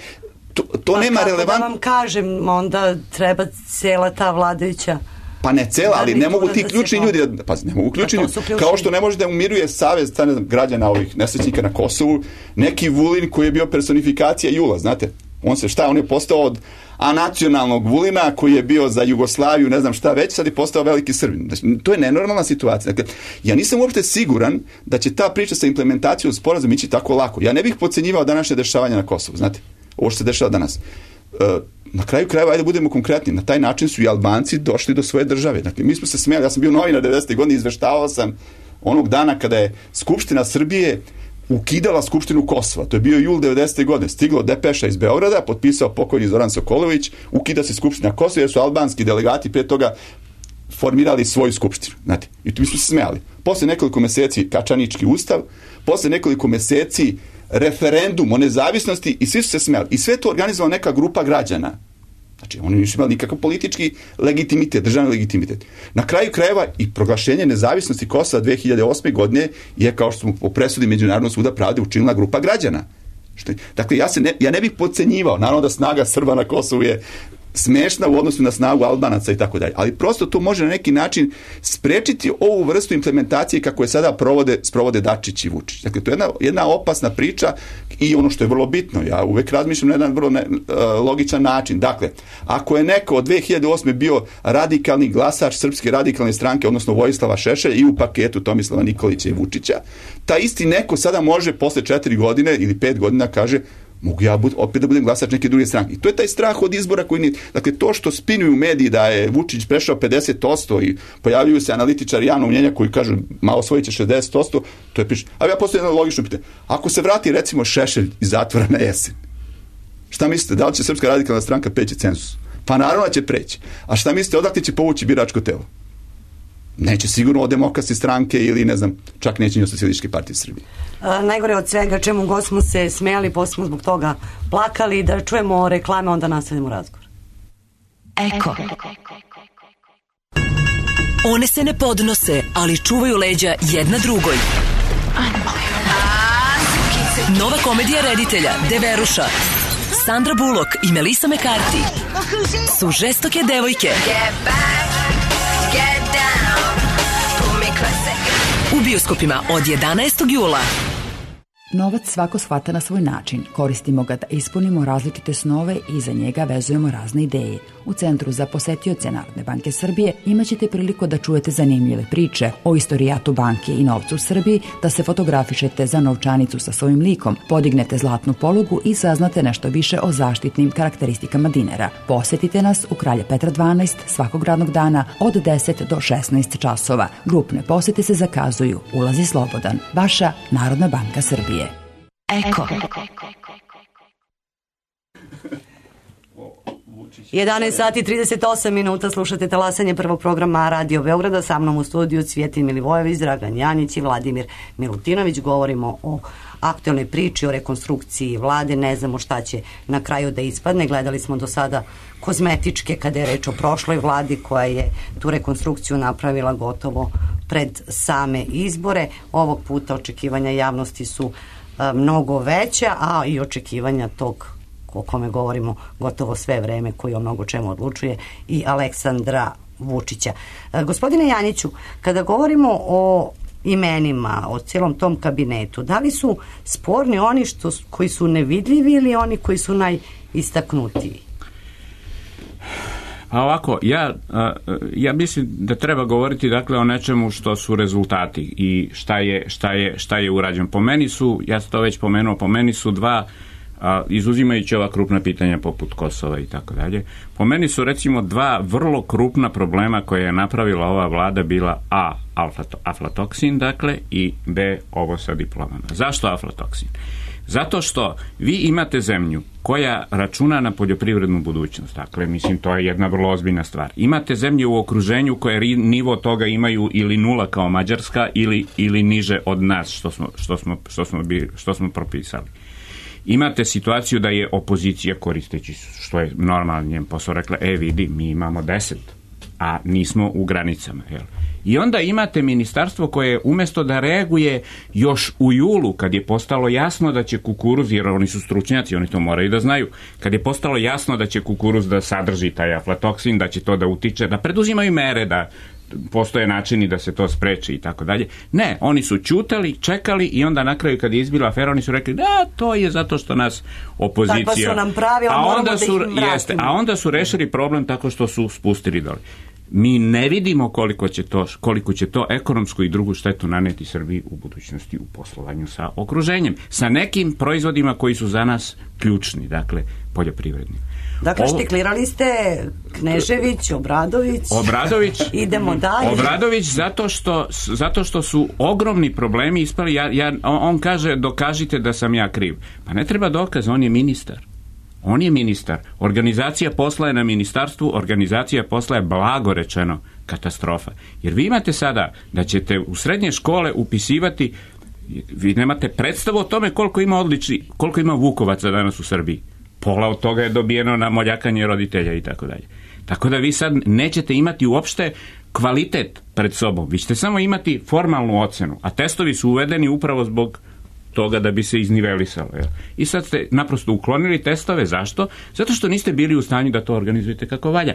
To, to pa nema relevant... da vam kažem, onda treba cijela ta vladajuća... Pa ne cela, ali ne mogu ti ključni ljudi, da, pa ne mogu ključni ljudi, kao što ne može da umiruje savez ne znam, građana ovih nesrećnika na Kosovu, neki Vulin koji je bio personifikacija Jula, znate, on se šta, on je postao od anacionalnog Vulina koji je bio za Jugoslaviju, ne znam šta već, sad je postao veliki Srbin. Znači, to je nenormalna situacija. Dakle, ja nisam uopšte siguran da će ta priča sa implementacijom sporazuma ići tako lako. Ja ne bih podcenjivao današnje dešavanja na Kosovu, znate, ovo što se dešava danas. Uh, na kraju krajeva, ajde budemo konkretni, na taj način su i Albanci došli do svoje države. Dakle, mi smo se smijali, ja sam bio novinar devedesete godine, izveštavao sam onog dana kada je Skupština Srbije ukidala Skupštinu Kosova. To je bio jul devedesete godine. Stiglo depeša iz Beograda, potpisao pokojni Zoran Sokolović, ukida se Skupština Kosova, jer su albanski delegati prije toga formirali svoju skupštinu. Znate, i tu mi smo se smijali. Posle nekoliko meseci Kačanički ustav, posle nekoliko meseci referendum o nezavisnosti i svi su se smijali. I sve to organizovala neka grupa građana. Znači, oni nisu imali nikakav politički legitimitet, državni legitimitet. Na kraju krajeva i proglašenje nezavisnosti Kosova dve hiljade osme godine je, kao što smo po presudi Međunarodnog suda pravde, učinila grupa građana. Što je, dakle, ja, se ne, ja ne bih podcenjivao. Naravno da snaga Srba na Kosovu je smešna u odnosu na snagu Albanaca i tako dalje. Ali prosto to može na neki način sprečiti ovu vrstu implementacije kako je sada provode, sprovode Dačić i Vučić. Dakle, to je jedna, jedna opasna priča i ono što je vrlo bitno, ja uvek razmišljam na jedan vrlo ne, uh, logičan način. Dakle, ako je neko od dve hiljade osme bio radikalni glasač Srpske radikalne stranke, odnosno Vojislava Šešelja i u paketu Tomislava Nikolića i Vučića, ta isti neko sada može posle četiri godine ili pet godina kaže mogu ja bud, opet da budem glasač neke druge stranke. I to je taj strah od izbora koji nije... Dakle, to što spinuju u mediji da je Vučić prešao pedeset posto i pojavljuju se analitičari javnog mnjenja koji kažu malo osvojit će šezdeset posto, to je piše. Ali ja postavljam jedno logično pitanje. Ako se vrati, recimo, Šešelj iz zatvora na jesen, šta mislite, da li će Srpska radikalna stranka preći cenzus? Pa naravno će preći. A šta mislite, odakle će povući biračko telo? Neće sigurno od Demokratske stranke ili, ne znam, čak neće ni od Socijalističke partije Srbije. A, najgore od svega, čemu god smo se smijali, posle smo zbog toga plakali, da čujemo reklame, onda nastavimo razgovor. Eko. One se ne podnose, ali čuvaju leđa jedna drugoj. Nova komedija reditelja Deveruša, Sandra Bullock i Melissa McCarthy su žestoke devojke u bioskopima od jedanaestog jula. Novac svako shvata na svoj način. Koristimo ga da ispunimo različite snove i za njega vezujemo razne ideje. U Centru za posetioce Narodne banke Srbije imaćete priliku da čujete zanimljive priče o istorijatu banke i novcu u Srbiji, da se fotografišete za novčanicu sa svojim likom, podignete zlatnu polugu i saznate nešto više o zaštitnim karakteristikama dinara. Posetite nas u Kralja Petra dvanaest svakog radnog dana od deset do šesnaest časova. Grupne posete se zakazuju. Ulaz je slobodan. Vaša Narodna banka Srbije. Eko. jedanaest sati i trideset osam minuta, slušate talasanje prvog programa Radio Beograda, sa mnom u studiju Cvjetin Milivojević, Dragan Janjić i Vladimir Milutinović. Govorimo o aktualnoj priči, o rekonstrukciji vlade, ne znamo šta će na kraju da ispadne. Gledali smo do sada kozmetičke kada je reč o prošloj vladi koja je tu rekonstrukciju napravila gotovo pred same izbore. Ovog puta očekivanja javnosti su a, mnogo veća, a i očekivanja tog o kome govorimo gotovo sve vreme, koji o mnogo čemu odlučuje, i Aleksandra Vučića. E, gospodine Janjiću, kada govorimo o imenima, o cijelom tom kabinetu, da li su sporni oni što, koji su nevidljivi ili oni koji su najistaknutiji? A ovako, ja, ja mislim da treba govoriti dakle o nečemu što su rezultati i šta je, šta je, šta je urađeno. Po meni su, ja sam to već pomenuo, po meni su dva, a, izuzimajući ova krupna pitanja poput Kosova i tako dalje, po meni su recimo dva vrlo krupna problema koje je napravila ova vlada bila A, aflatoksin, dakle, i B, ovo sa diplomama. Zašto aflatoksin? Zato što vi imate zemlju koja računa na poljoprivrednu budućnost. Dakle, mislim, to je jedna vrlo ozbiljna stvar. Imate zemlje u okruženju koje nivo toga imaju ili nula kao Mađarska ili, ili niže od nas što smo, što smo, što smo, bi, što smo propisali. Imate situaciju da je opozicija, koristeći što je normalno njen posao, rekla, e vidi, mi imamo deset, a nismo u granicama. Jel? I onda imate ministarstvo koje umjesto da reaguje još u julu, kad je postalo jasno da će kukuruz, jer oni su stručnjaci, oni to moraju da znaju, kad je postalo jasno da će kukuruz da sadrži taj aflatoksin, da će to da utiče, da preduzimaju mere, da postoje načini da se to spreči i tako dalje. Ne, oni su ćutali, čekali i onda na kraju kad je izbila afera, oni su rekli da, to je zato što nas opozicija... Tako su nam pravila, a moramo onda da su, ih vratimo. jeste, a onda su rešili problem tako što su spustili dole. Mi ne vidimo koliko će to, koliko će to ekonomsku i drugu štetu naneti Srbiji u budućnosti u poslovanju sa okruženjem, sa nekim proizvodima koji su za nas ključni, dakle poljoprivredni. Dakle, Ovo, štiklirali ste Knežević, Obradović. Obradović. Idemo dalje. Obradović zato što, zato što su ogromni problemi ispali. Ja, ja, on kaže, dokažite da sam ja kriv. Pa ne treba dokaz, on je ministar. On je ministar. Organizacija posla je na ministarstvu, organizacija posla je blago rečeno katastrofa. Jer vi imate sada da ćete u srednje škole upisivati, vi nemate predstavu o tome koliko ima odlični, koliko ima Vukovaca danas u Srbiji. Pola od toga je dobijeno na moljakanje roditelja i tako dalje. Tako da vi sad nećete imati uopšte kvalitet pred sobom. Vi ćete samo imati formalnu ocenu, a testovi su uvedeni upravo zbog toga da bi se iznivelisalo. Jel? I sad ste naprosto uklonili testove. Zašto? Zato što niste bili u stanju da to organizujete kako valja.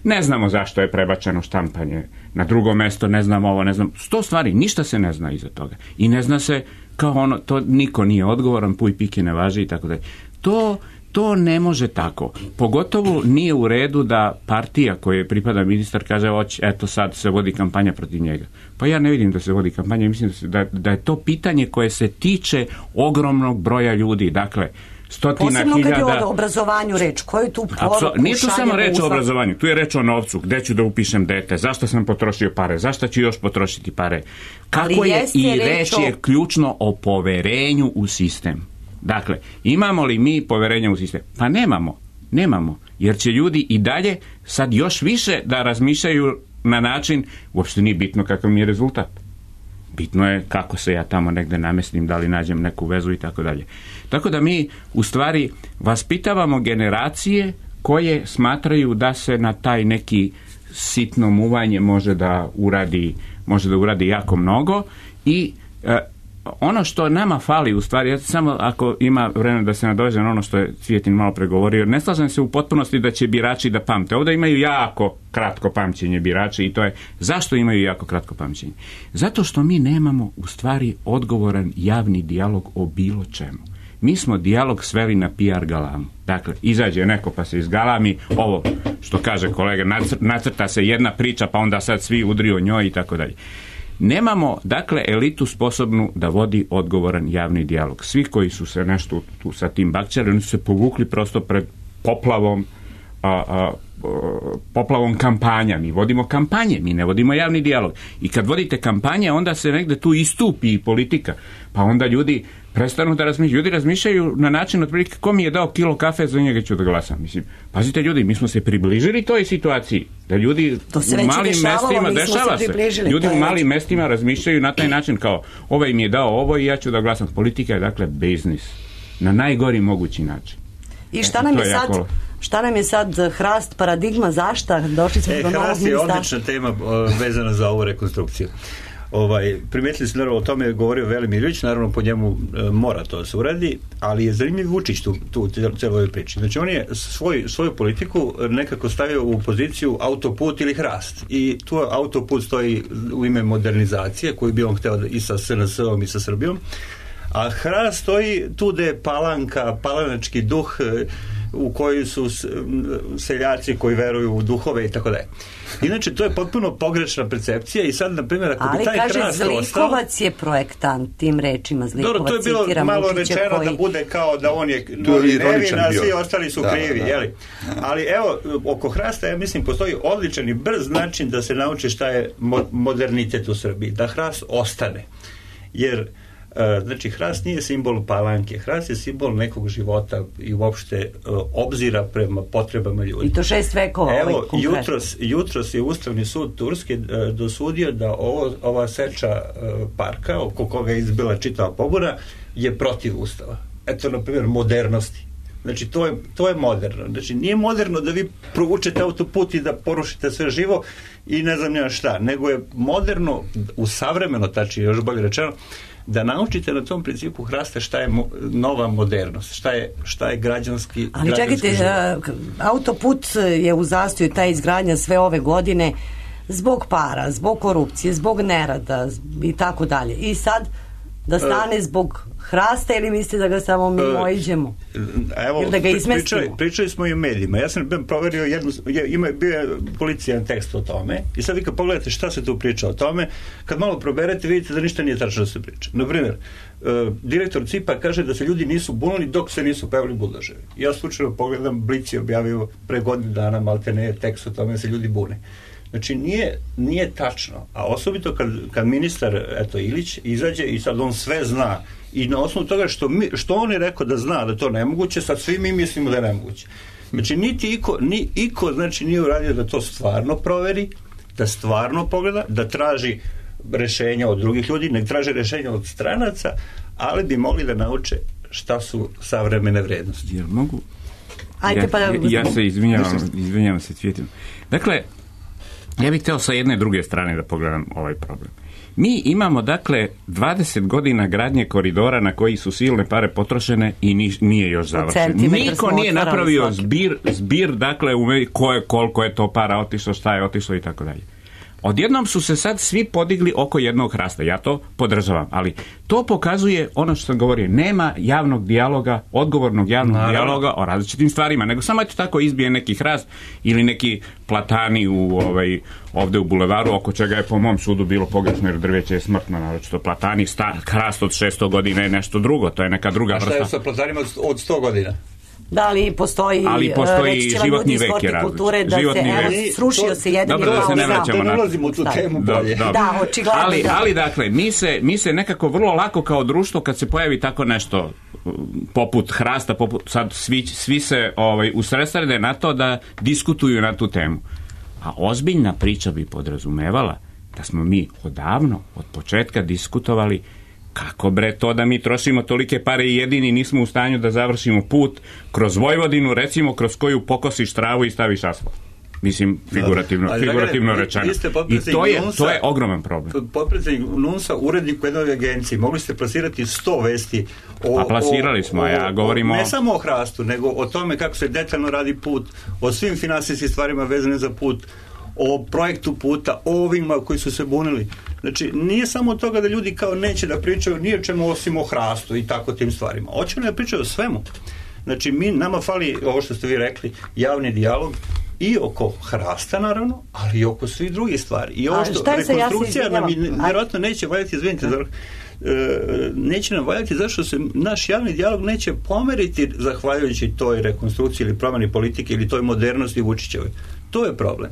Ne znamo zašto je prebačeno štampanje na drugo mesto, ne znam ovo, ne znam. Sto stvari, ništa se ne zna iza toga. I ne zna se kao ono, to niko nije odgovoran, puj pike ne važi i tako dalje. To To ne može tako. Pogotovo nije u redu da partija koje pripada ministar kaže, oć, eto sad se vodi kampanja protiv njega. Pa ja ne vidim da se vodi kampanja, mislim da, se, da, da je to pitanje koje se tiče ogromnog broja ljudi. Dakle, stotina posebno hiljada... Posebno kad je o obrazovanju reč, koju tu poruku Apso... Nije tu samo reč uzla... o obrazovanju, tu je reč o novcu, gde ću da upišem dete, zašto sam potrošio pare, zašto ću još potrošiti pare. Kako je i reč o... je ključno o poverenju u sistem. Dakle, imamo li mi poverenja u sistem? Pa nemamo, nemamo, jer će ljudi i dalje sad još više da razmišljaju na način, uopšte nije bitno kakav mi je rezultat. Bitno je kako se ja tamo negde namestim, da li nađem neku vezu i tako dalje. Tako da mi u stvari vaspitavamo generacije koje smatraju da se na taj neki sitno muvanje može da uradi, može da uradi jako mnogo i e, ono što nama fali u stvari, ja samo ako ima vremena da se nadoveže na ono što je Cvijetin malo pregovorio, ne slažem se u potpunosti da će birači da pamte. Ovdje imaju jako kratko pamćenje birači i to je, zašto imaju jako kratko pamćenje? Zato što mi nemamo u stvari odgovoran javni dijalog o bilo čemu. Mi smo dijalog sveli na P R galamu. Dakle, izađe neko pa se izgalami, ovo što kaže kolega, nacrta se jedna priča pa onda sad svi udri o njoj i tako dalje. Nemamo, dakle, elitu sposobnu da vodi odgovoran javni dijalog. Svi koji su se nešto tu sa tim bakćali, oni su se povukli prosto pred poplavom a, a, a, poplavom kampanja. Mi vodimo kampanje, mi ne vodimo javni dijalog. I kad vodite kampanje, onda se negde tu istupi i politika. Pa onda ljudi prestanu da razmišljaju. Ljudi razmišljaju na način otprilike ko mi je dao kilo kafe, za njega ću da glasam. Mislim, pazite ljudi, mi smo se približili toj situaciji. Da ljudi u malim mestima, dešava se, ljudi u malim mestima razmišljaju na taj način kao ovaj mi je dao ovo i ja ću da glasam. Politika je dakle biznis. Na najgori mogući način. I šta nam je, je sad... Jako... Šta nam je sad hrast, paradigma, zašta? Došli smo e, do novog ministarstva. Hrast je odlična tema o, vezana za ovu rekonstrukciju. Ovaj, primetili ste, naravno, o tome je govorio Velimir Ilić, naravno po njemu e, mora to da se uradi, ali je zanimljiv Vučić tu, tu u celoj ovoj priči. Znači on je svoj, svoju politiku nekako stavio u poziciju autoput ili hrast. I tu autoput stoji u ime modernizacije koju bi on hteo i sa S N S-om i sa Srbijom, a hrast stoji tu gde je palanka, palanački duh u koji su seljaci koji veruju u duhove i tako dalje. Inače, to je potpuno pogrešna percepcija i sad, na primjer, ako ali bi taj kaže, hrast Zlikovac ostao, je projektant tim rečima. Zlikovac, dobro, to je bilo citiram, malo Vučića rečeno koji... da bude kao da on je novi nevin, a svi ostali su da, krivi, da. Jeli? Ali evo, oko hrasta, ja mislim, postoji odličan i brz način da se nauči šta je mo- modernitet u Srbiji. Da hrast ostane. Jer Znači, hrast nije simbol palanke, hrast je simbol nekog života i uopšte obzira prema potrebama ljudi. I to šest vekova. Evo, jutros, jutros je Ustavni sud Turske dosudio da ovo, ova seča parka, oko koga je izbila čitava pobuna, je protiv Ustava. Eto, na primjer, modernosti. Znači, to je, to je moderno. Znači, nije moderno da vi provučete autoput i da porušite sve živo i ne znam nema šta, nego je moderno, u savremeno, tačnije, još bolje rečeno, da naučite na tom principu hrasta šta je mo, nova modernost, šta je, šta je građanski Ali građanski čekajte, život. Autoput je u zastoju, ta izgradnja sve ove godine zbog para, zbog korupcije, zbog nerada i tako dalje. I sad da stane zbog hrasta ili mislite da ga samo mimo iđemo? Evo, ili da ga izmestimo? Pričali, pričali smo i o medijima. Ja sam proverio jednu, ima, bio je policijan tekst o tome i sad vi kad pogledate šta se tu priča o tome, kad malo proberete vidite da ništa nije tačno da se priča. Na primjer, uh, direktor C I P-a kaže da se ljudi nisu bunili dok se nisu pevali buldoževi. Ja slučajno pogledam, Blic je objavio pre godinu dana maltene tekst o tome da se ljudi bune. Znači, nije, nije tačno, a osobito kad, kad ministar, eto, Ilić, izađe i sad on sve zna i na osnovu toga što, mi, što on je rekao da zna da to nemoguće, sad svi mi mislimo da je nemoguće. Znači, niti iko, ni iko, znači, nije uradio da to stvarno proveri, da stvarno pogleda, da traži rešenja od drugih ljudi, nek traži rešenja od stranaca, ali bi mogli da nauče šta su savremene vrednosti. Jel mogu? Ajde, pa... ja, ja se izvinjavam, izvinjavam se Cvjetom. Dakle, ja bih htio sa jedne druge strane da pogledam ovaj problem. Mi imamo, dakle, dvadeset godina gradnje koridora na koji su silne pare potrošene i ni, nije još završen. Niko nije napravio zbir, zbir, dakle, u ko je, koliko je to para otišlo, šta je otišlo i tako dalje. Odjednom su se sad svi podigli oko jednog hrasta. Ja to podržavam, ali to pokazuje ono što sam govorio. Nema javnog dijaloga, odgovornog javnog Naravno. dijaloga o različitim stvarima, nego samo eto tako izbije neki hrast ili neki platani u, ovaj, ovde u bulevaru, oko čega je po mom sudu bilo pogrešno jer drveće je smrtno, naročito platani, sta, hrast od šesto godina je nešto drugo, to je neka druga vrsta. A šta je sa platanima od, od sto godina? Da li postoji, ali postoji životni vek je kulture da životni se, evo, srušio to, se jedan dobro, i da se ne vraćamo na... Da ne ulazimo u tu temu bolje. Da, da, očigledno. Ali, da. ali dakle, mi se, mi se nekako vrlo lako kao društvo, kad se pojavi tako nešto poput hrasta, poput, sad svi, svi se ovaj, usredsrede na to da diskutuju na tu temu. A ozbiljna priča bi podrazumevala da smo mi odavno, od početka diskutovali kako bre to da mi trošimo tolike pare i jedini nismo u stanju da završimo put kroz Vojvodinu, recimo kroz koju pokosiš travu i staviš asfalt. Mislim, figurativno, ali, figurativno ali, rečeno. I to je, to je ogroman problem. Potpredsjednik Nunsa, urednik u jednoj agenciji, mogli ste plasirati sto vesti o... A plasirali smo, o, ja govorimo... Ne samo o hrastu, nego o tome kako se detaljno radi put, o svim finansijskim stvarima vezane za put, o projektu puta, o ovima koji su se bunili. Znači, nije samo od toga da ljudi kao neće da pričaju nije čemu osim o hrastu i tako tim stvarima. Hoće da pričaju o svemu. Znači, mi, nama fali, ovo što ste vi rekli, javni dijalog i oko hrasta, naravno, ali i oko svih drugih stvari. I ovo što rekonstrukcija nam vjerojatno neće valjati, izvinite, zar, e, neće nam valjati zašto se naš javni dijalog neće pomeriti zahvaljujući toj rekonstrukciji ili promjeni politike ili toj modernosti Vučićevoj. To je problem.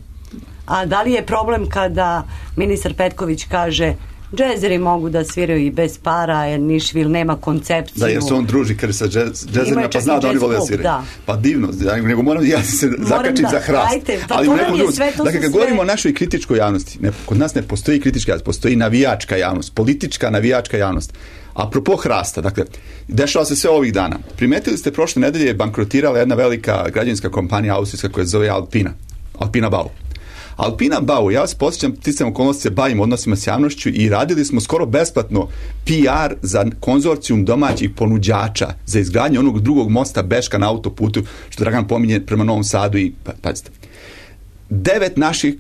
A da li je problem kada ministar Petković kaže džezeri mogu da sviraju i bez para jer Nišvil nema koncepciju. Da, jer se on druži kada sa džezerima pa zna da oni vole da sviraju. Da. Pa divno, nego moram ja se moram zakačim da, za hrast. Ajte, pa ali to nam je sve, to dakle, kad sve... govorimo o našoj kritičkoj javnosti, ne, kod nas ne postoji kritička javnost, postoji navijačka javnost, politička navijačka javnost. Apropo hrasta, dakle, dešava se sve ovih dana. Primetili ste, prošle nedelje je bankrotirala jedna velika građevinska kompanija austrijska koja se zove Alpina. Alpina Bau. Alpina Bau, ja vas posjećam, sticam okolnosti se bavim odnosima s javnošću i radili smo skoro besplatno P R za konzorcijum domaćih ponuđača za izgradnju onog drugog mosta Beška na autoputu, što Dragan pominje prema Novom Sadu i, pa, pazite, devet naših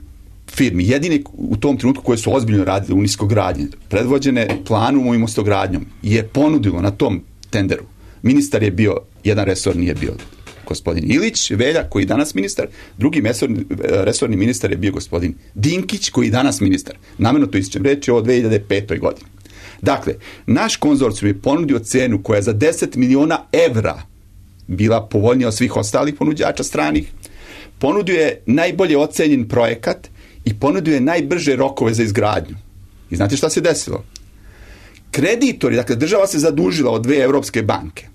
firmi, jedine u tom trenutku koje su ozbiljno radile u niskogradnje, predvođene planom i mostogradnjom, je ponudilo na tom tenderu. Ministar je bio, jedan resor nije bio gospodin Ilić, Velja, koji je danas ministar, drugi resorni, resorni ministar je bio gospodin Dinkić, koji je danas ministar. Namerno to ističem, reč je o dve hiljade petoj godini. Dakle, naš konzorcijum je ponudio cenu koja je za deset miliona evra bila povoljnija od svih ostalih ponuđača stranih, ponudio je najbolje ocenjen projekat i ponudio je najbrže rokove za izgradnju. I znate šta se desilo? kreditori, dakle država se zadužila od dve evropske banke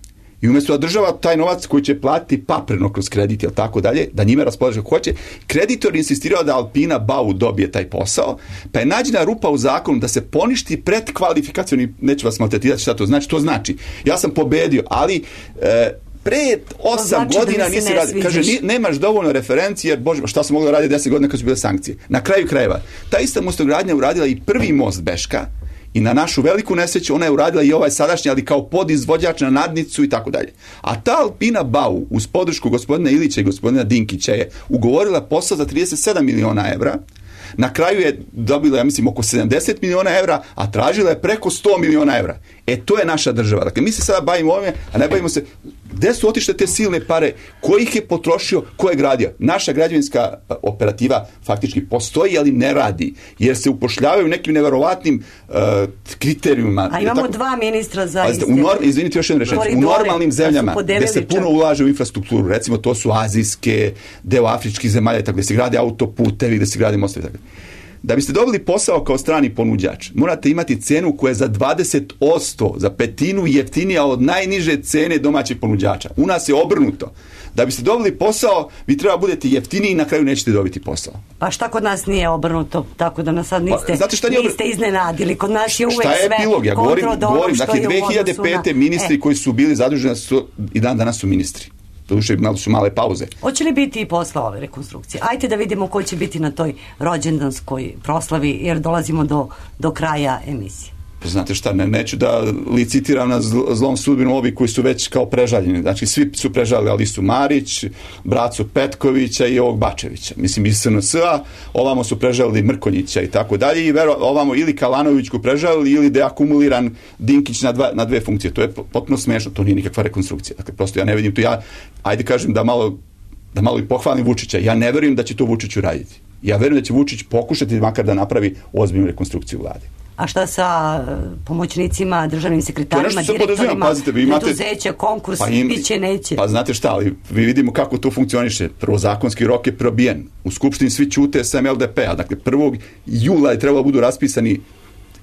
i umjesto da država taj novac koji će platiti papreno kroz kredit ili tako dalje, da njime raspolaže kako hoće, kreditor insistirao da Alpina Bau dobije taj posao, pa je nađena rupa u zakonu da se poništi predkvalifikacioni, neću vas maltretirati šta to znači, to znači, ja sam pobedio, ali e, pre osam znači godina nisi radi. Kaže, ni, nemaš dovoljno referencije, jer bože, šta su mogli raditi deset godina kad su bile sankcije. Na kraju krajeva, ta ista mostogradnja uradila i prvi most Beška, i na našu veliku nesreću ona je uradila i ovaj sadašnji, ali kao podizvođač na nadnicu i tako dalje. A ta Alpina Bau, uz podršku gospodina Ilića i gospodina Dinkića, je ugovorila posao za trideset sedam miliona evra. Na kraju je dobila, ja mislim, oko sedamdeset miliona evra, a tražila je preko sto miliona evra. E, to je naša država. Dakle, mi se sada bavimo ovime, a ne bavimo se gde su otišle te silne pare, ko ih je potrošio, ko je gradio. Naša građevinska operativa faktički postoji, ali ne radi, jer se upošljavaju nekim neverovatnim uh, kriterijuma. A imamo tako, dva ministra za iste. Norm, izvinite još jednu rečenicu. U normalnim zemljama gde se puno ulaže u infrastrukturu, recimo to su azijske, deo afričkih zemalja, tako gde se grade autoputevi, gde se grade mostovi, tako. Da biste dobili posao kao strani ponuđač, morate imati cenu koja je za dvadeset posto, za petinu jeftinija od najniže cene domaćeg ponuđača. U nas je obrnuto. Da biste dobili posao, vi treba budete jeftiniji i na kraju nećete dobiti posao. Pa šta kod nas nije obrnuto, tako da nas sad niste, pa, šta nije niste iznenadili. Kod nas je uvek šta je sve epilog? Ja govorim, govorim dakle, dve hiljade pete na... ministri e. koji su bili zaduženi su, i dan danas su ministri. Doduše imali su male pauze. Hoće li biti i posle ove rekonstrukcije? Ajde da vidimo ko će biti na toj rođendanskoj proslavi, jer dolazimo do, do kraja emisije. Znate šta, ne, neću da licitiram na zl, zlom sudbinu ovi koji su već kao prežaljeni. Znači, svi su prežaljali Alisu Marić, bracu Petkovića i ovog Bačevića. Mislim, iz S N S-a, ovamo su prežaljali Mrkonjića i tako dalje, i vero, ovamo ili Kalanović ko prežaljali ili deakumuliran Dinkić na, dva, na dve funkcije. To je potpuno smešno, to nije nikakva rekonstrukcija. Dakle, prosto ja ne vidim to, ja, ajde kažem da malo, da malo i pohvalim Vučića, ja ne verujem da će to Vučić uraditi. Ja verujem da će Vučić pokušati makar da napravi ozbiljnu rekonstrukciju vlade. A šta sa pomoćnicima, državnim sekretarima, direktorima, pazite, vi imate, preduzeća, konkurs, pa im, biće, neće? Pa znate šta, ali vi vidimo kako to funkcioniše. Prvo, zakonski rok je probijen. U Skupštini svi ćute sem L D P-a. Dakle, prvog jula je trebalo budu raspisani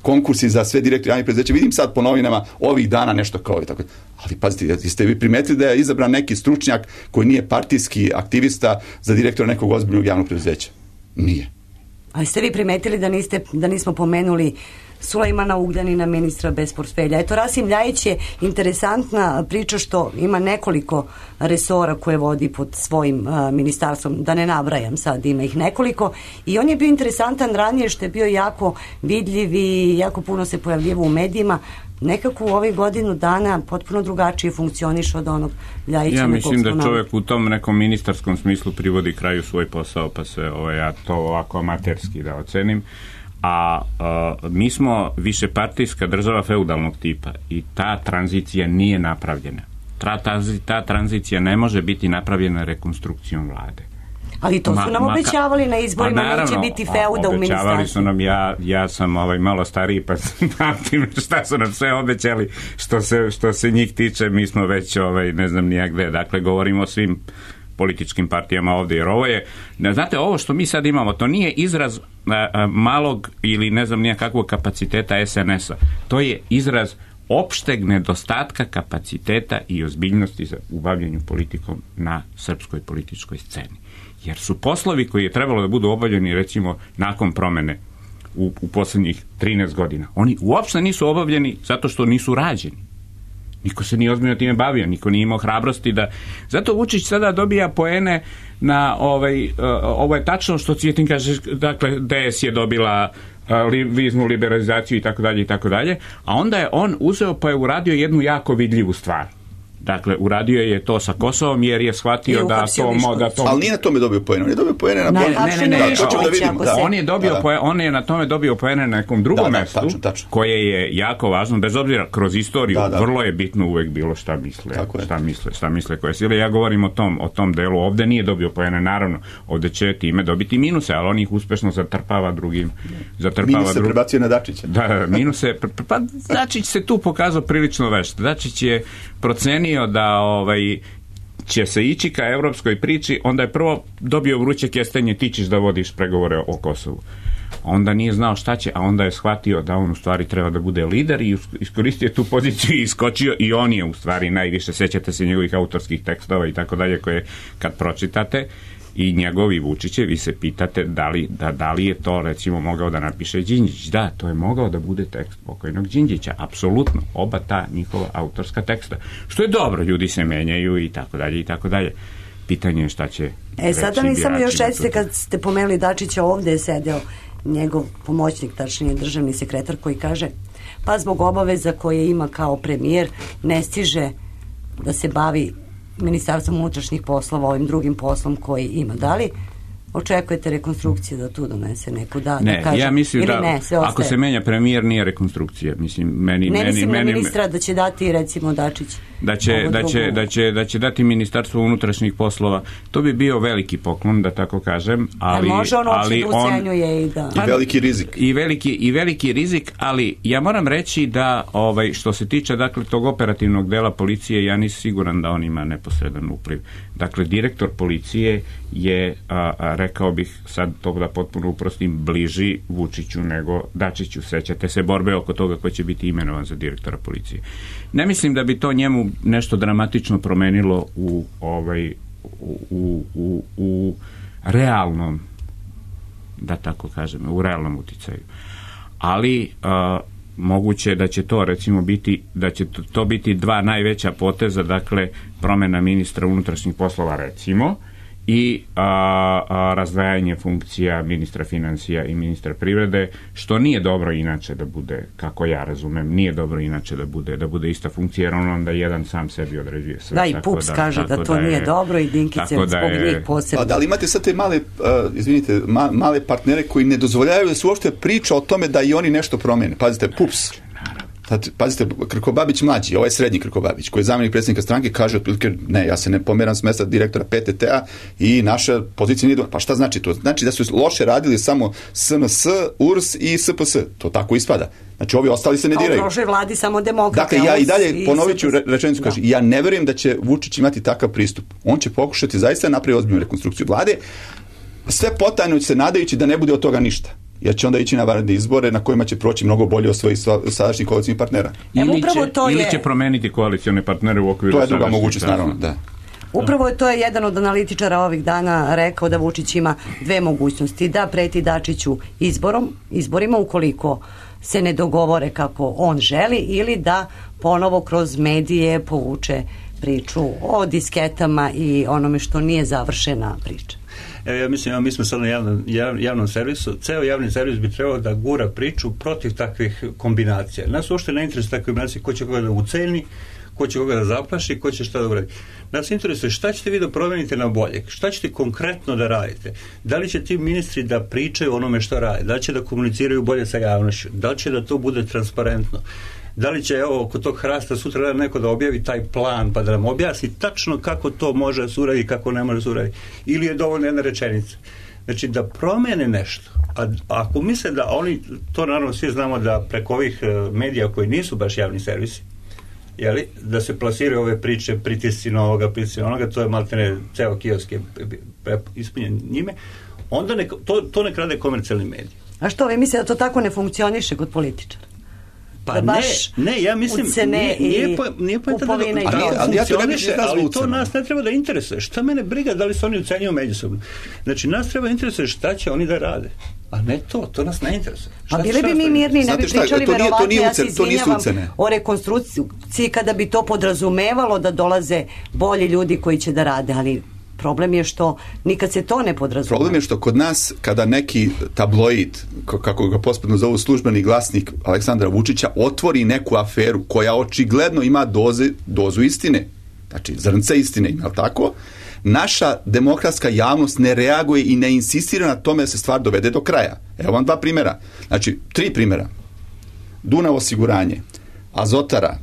konkursi za sve direktore javnih preduzeća. Vidim sad po novinama ovih dana nešto kao i tako. Ali pazite, jeste vi primetili da je izabran neki stručnjak koji nije partijski aktivista za direktora nekog ozbiljnog javnog preduzeća? Nije. Ali ste vi primetili da, niste, da nismo pomenuli Sulejmana Ugljanina, ministra bez portfelja? Eto, Rasim Ljajić je interesantna priča što ima nekoliko resora koje vodi pod svojim uh, ministarstvom, da ne nabrajam sad, ima ih nekoliko, i on je bio interesantan ranije što je bio jako vidljiv i jako puno se pojavljivo u medijima. Nekako u ovih godinu dana potpuno drugačije funkcioniše od onog Ljajića. Ja mislim da čovjek u tom nekom ministarskom smislu privodi kraju svoj posao, pa se ovaj, ja to ovako amaterski da ocenim. A, a mi smo višepartijska država feudalnog tipa i ta tranzicija nije napravljena. Ta, ta, ta tranzicija ne može biti napravljena rekonstrukcijom vlade. Ali to su nam ma, obećavali na izborima, pa naravno, neće biti feuda u ministarstvu. Obećavali su nam, ja, ja sam ovaj malo stariji, pa pamtim šta su nam sve obećali, što se, što se njih tiče, mi smo već, ovaj, ne znam nijak gde, dakle, govorimo o svim političkim partijama ovdje, jer ovo je, znate, ovo što mi sad imamo, to nije izraz a, a, malog ili ne znam nijakakvog kapaciteta S N S-a, to je izraz opšteg nedostatka kapaciteta i ozbiljnosti za ubavljanju politikom na srpskoj političkoj sceni. Jer su poslovi koji je trebalo da budu obavljeni recimo nakon promene u, u posljednjih trinaest godina, oni uopšte nisu obavljeni zato što nisu rađeni. Niko se nije ozbiljno time bavio, niko nije imao hrabrosti da... Zato Vučić sada dobija poene na ovaj, uh, ovo je tačno što Cvjetin kaže, dakle D S je dobila uh, li, viznu liberalizaciju i tako dalje i tako dalje, a onda je on uzeo pa je uradio jednu jako vidljivu stvar. Dakle, uradio je to sa Kosovom jer je shvatio da to, da to... Ali nije na tome dobio poene, on je dobio poene na... Ne, ne, ne, ne, da, to ćemo da vidimo. Da. On je dobio da, da. Poene, on je na tome dobio poene na nekom drugom da, da, mestu, tačno, tačno. Koje je jako važno, bez obzira kroz istoriju, da, da. Vrlo je bitno uvek bilo šta misle, šta misle, šta misle koje sile. Ja govorim o tom, o tom delu, ovde nije dobio poene, naravno, ovde će time dobiti minuse, ali on ih uspešno zatrpava drugim... Zatrpava minuse drugim. Prebacio na Dačića. Da, minuse, pa Dačić se tu pokazao prilično vešt. Dačić je procenio da ovaj će se ići ka evropskoj priči, onda je prvo dobio vruće kestenje, ti ćeš da vodiš pregovore o Kosovu. onda nije znao šta će, a onda je shvatio da on u stvari treba da bude lider i iskoristio tu poziciju i iskočio i on je u stvari najviše, sećate se njegovih autorskih tekstova i tako dalje koje kad pročitate i njegovi Vučiće, vi se pitate da li, da, da li je to recimo mogao da napiše Đinđić. Da, to je mogao da bude tekst pokojnog Đinđića, apsolutno, oba ta njihova autorska teksta. Što je dobro, ljudi se menjaju i tako dalje i tako dalje. Pitanje je šta će E, sada mi samo još recite, kad ste pomenuli Dačića, ovde je sedeo njegov pomoćnik, tačnije državni sekretar, koji kaže pa zbog obaveza koje ima kao premijer ne stiže da se bavi Ministarstvom unutrašnjih poslova ovim drugim poslom koji ima. Da li očekujete rekonstrukciju da tu donese neku da, ne, da kaže, ja mislim da ne, ako se menja premijer nije rekonstrukcija, mislim meni ne meni mislim meni, na ministra da će dati recimo Dačić da će da će da će da će dati Ministarstvo unutrašnjih poslova, to bi bio veliki poklon, da tako kažem, ali ja, može on ali on ucenjuje i da i veliki rizik i veliki i veliki rizik, ali ja moram reći da ovaj što se tiče dakle tog operativnog dela policije, ja nisam siguran da on ima neposredan upliv. Dakle, direktor policije je a, a, rekao bih sad to da potpuno uprostim, bliži Vučiću nego Dačiću. Sećate se borbe oko toga ko će biti imenovan za direktora policije. Ne mislim da bi to njemu nešto dramatično promenilo u ovaj u, u, u, u realnom, da tako kažem, u realnom uticaju. Ali a, moguće je da će to recimo biti da će to, to biti dva najveća poteza, dakle promena ministra unutrašnjih poslova recimo i a, a, razdvajanje funkcija ministra financija i ministra privrede, što nije dobro inače da bude, kako ja razumem, nije dobro inače da bude da bude ista funkcija, jer on onda jedan sam sebi određuje sve. Da, i Pups da, kaže da to da je, nije dobro i Dinkić je zbog njih posebno. A da li imate sad te male, uh, izvinite, ma, male partnere koji ne dozvoljavaju da se uopšte priča o tome da i oni nešto promene? Pazite, Pups. Sad, pazite, Krkobabić mlađi, ovaj srednji Krkobabić, koji je zamjenik predsjednika stranke, kaže otprilike, ne, ja se ne pomeram s mesta direktora P T T-a i naša pozicija nije... Pa šta znači to? Znači da su loše radili samo S N S, U R S i S P S. To tako ispada. Znači ovi ostali se ne diraju. A u prošloj vladi samo demokrate. Dakle, ja i dalje ponovit ću rečenicu, kaže, ja ne verujem da će Vučić imati takav pristup. On će pokušati zaista napraviti ozbiljnu rekonstrukciju vlade, sve potajno se nadajući da ne bude od toga ništa. Jer će onda ići na vanredne izbore na kojima će proći mnogo bolje od svojih sadašnjih koalicijnih partnera. Ili će, ili će promeniti koalicione partnere u okviru. To je druga mogućnost, naravno, da. Upravo je to je jedan od analitičara ovih dana rekao da Vučić ima dve mogućnosti, da preti Dačiću izborom, izborima ukoliko se ne dogovore kako on želi, ili da ponovo kroz medije povuče priču o disketama i onome što nije završena priča. Evo, ja mislim, mi smo sad na javnom, javnom servisu, ceo javni servis bi trebao da gura priču protiv takvih kombinacija. Nas uopšte ne interesuje takve kombinacije, ko će koga da uceni, ko će koga da zaplaši, ko će šta da uradi. Nas interesuje šta ćete vi da promenite na bolje, šta ćete konkretno da radite, da li će ti ministri da pričaju onome što rade, da li će da komuniciraju bolje sa javnošću, da li će da to bude transparentno, da li će, evo, oko tog hrasta sutra neko da objavi taj plan pa da nam objasni tačno kako to može da se uradi i kako ne može da se uradi, ili je dovoljna jedna rečenica. Znači da promene nešto, a ako misle da oni, to naravno svi znamo da preko ovih medija koji nisu baš javni servisi, jeli, da se plasiraju ove priče, pritisci na ovoga, pritisci na onoga, to je maltene ceo kiosk je ispunjen njime, onda ne, to, to ne krade komercijalni mediji. A što, vi mislite da to tako ne funkcioniše kod političara? Pa ne, ne, ja mislim nije, nije, po, nije pojenta da, da, da ali, ja to ne bih ali to nas ne treba da interesuje. Šta mene briga da li se oni ucenjuju međusobno? Znači, nas treba interesuje šta će oni da rade. A ne to, to nas ne interesuje. Šta, a bili bi mi mirni, ne bi pričali verovatno, ja se izvinjavam o rekonstrukciji kada bi to podrazumevalo da dolaze bolji ljudi koji će da rade, ali problem je što nikad se to ne podrazumeva. Problem je što kod nas, kada neki tabloid, kako ga pospredno zovu službeni glasnik Aleksandra Vučića, otvori neku aferu koja očigledno ima doze, dozu istine, znači zrnce istine, ima tako, naša demokratska javnost ne reaguje i ne insistira na tome da se stvar dovede do kraja. Evo vam dva primjera. Znači, tri primjera. Dunav osiguranje, Azotara,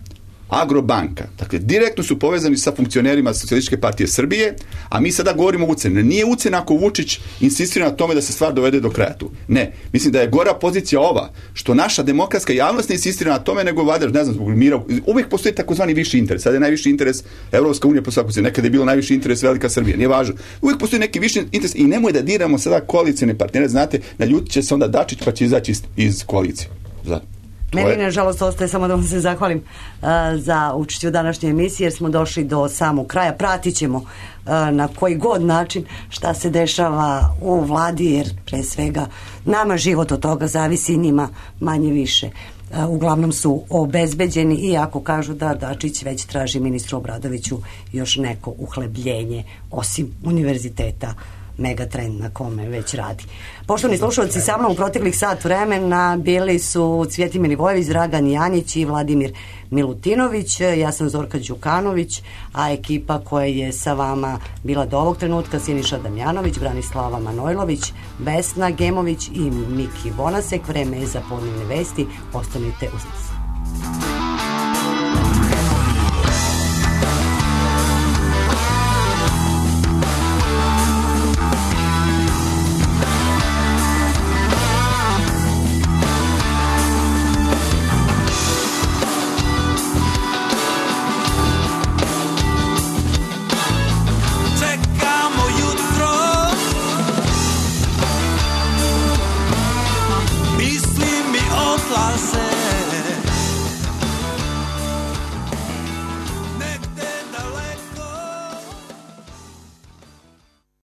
Agrobanka. Dakle, direktno su povezani sa funkcionerima Socijalističke partije Srbije, a mi sada govorimo o uceni. Nije ucena ako Vučić insistira na tome da se stvar dovede do kraja tu. Ne. Mislim da je gora pozicija ova, što naša demokratska javnost ne insistira na tome, nego vlada, ne znam, zbog mira. Uvijek postoji takozvani viši interes. Sada je najviši interes Evropska unija po svaku cenu. Nekada je bilo najviši interes Velika Srbija. Nije važno. Uvijek postoji neki viši interes i nemoj da diramo sada koalicione partnere. Znate, naljutit će se onda Dačić pa će izaći iz, iz koalicije. Za. Meni, nažalost, ostaje samo da vam se zahvalim uh, za učešće u današnjoj emisiji, jer smo došli do samog kraja. Pratit ćemo uh, na koji god način šta se dešava u vladi, jer pre svega nama život od toga zavisi, njima manje više. Uh, uglavnom su obezbeđeni, iako kažu da Dačić već traži ministru Obradoviću još neko uhlebljenje, osim univerziteta Megatrend na kome već radi. Poštovani slušalci, sa mnom u proteklih sat vremena bili su Cvjetin Milivojević, Dragan Janjić i Vladimir Milutinović. Ja sam Zorka Đukanović, a ekipa koja je sa vama bila do ovog trenutka: Siniša Damjanović, Branislava Manojlović, Vesna Gemović i Miki Bonasek. Vreme je za podnevne vesti. Ostanite uz nas.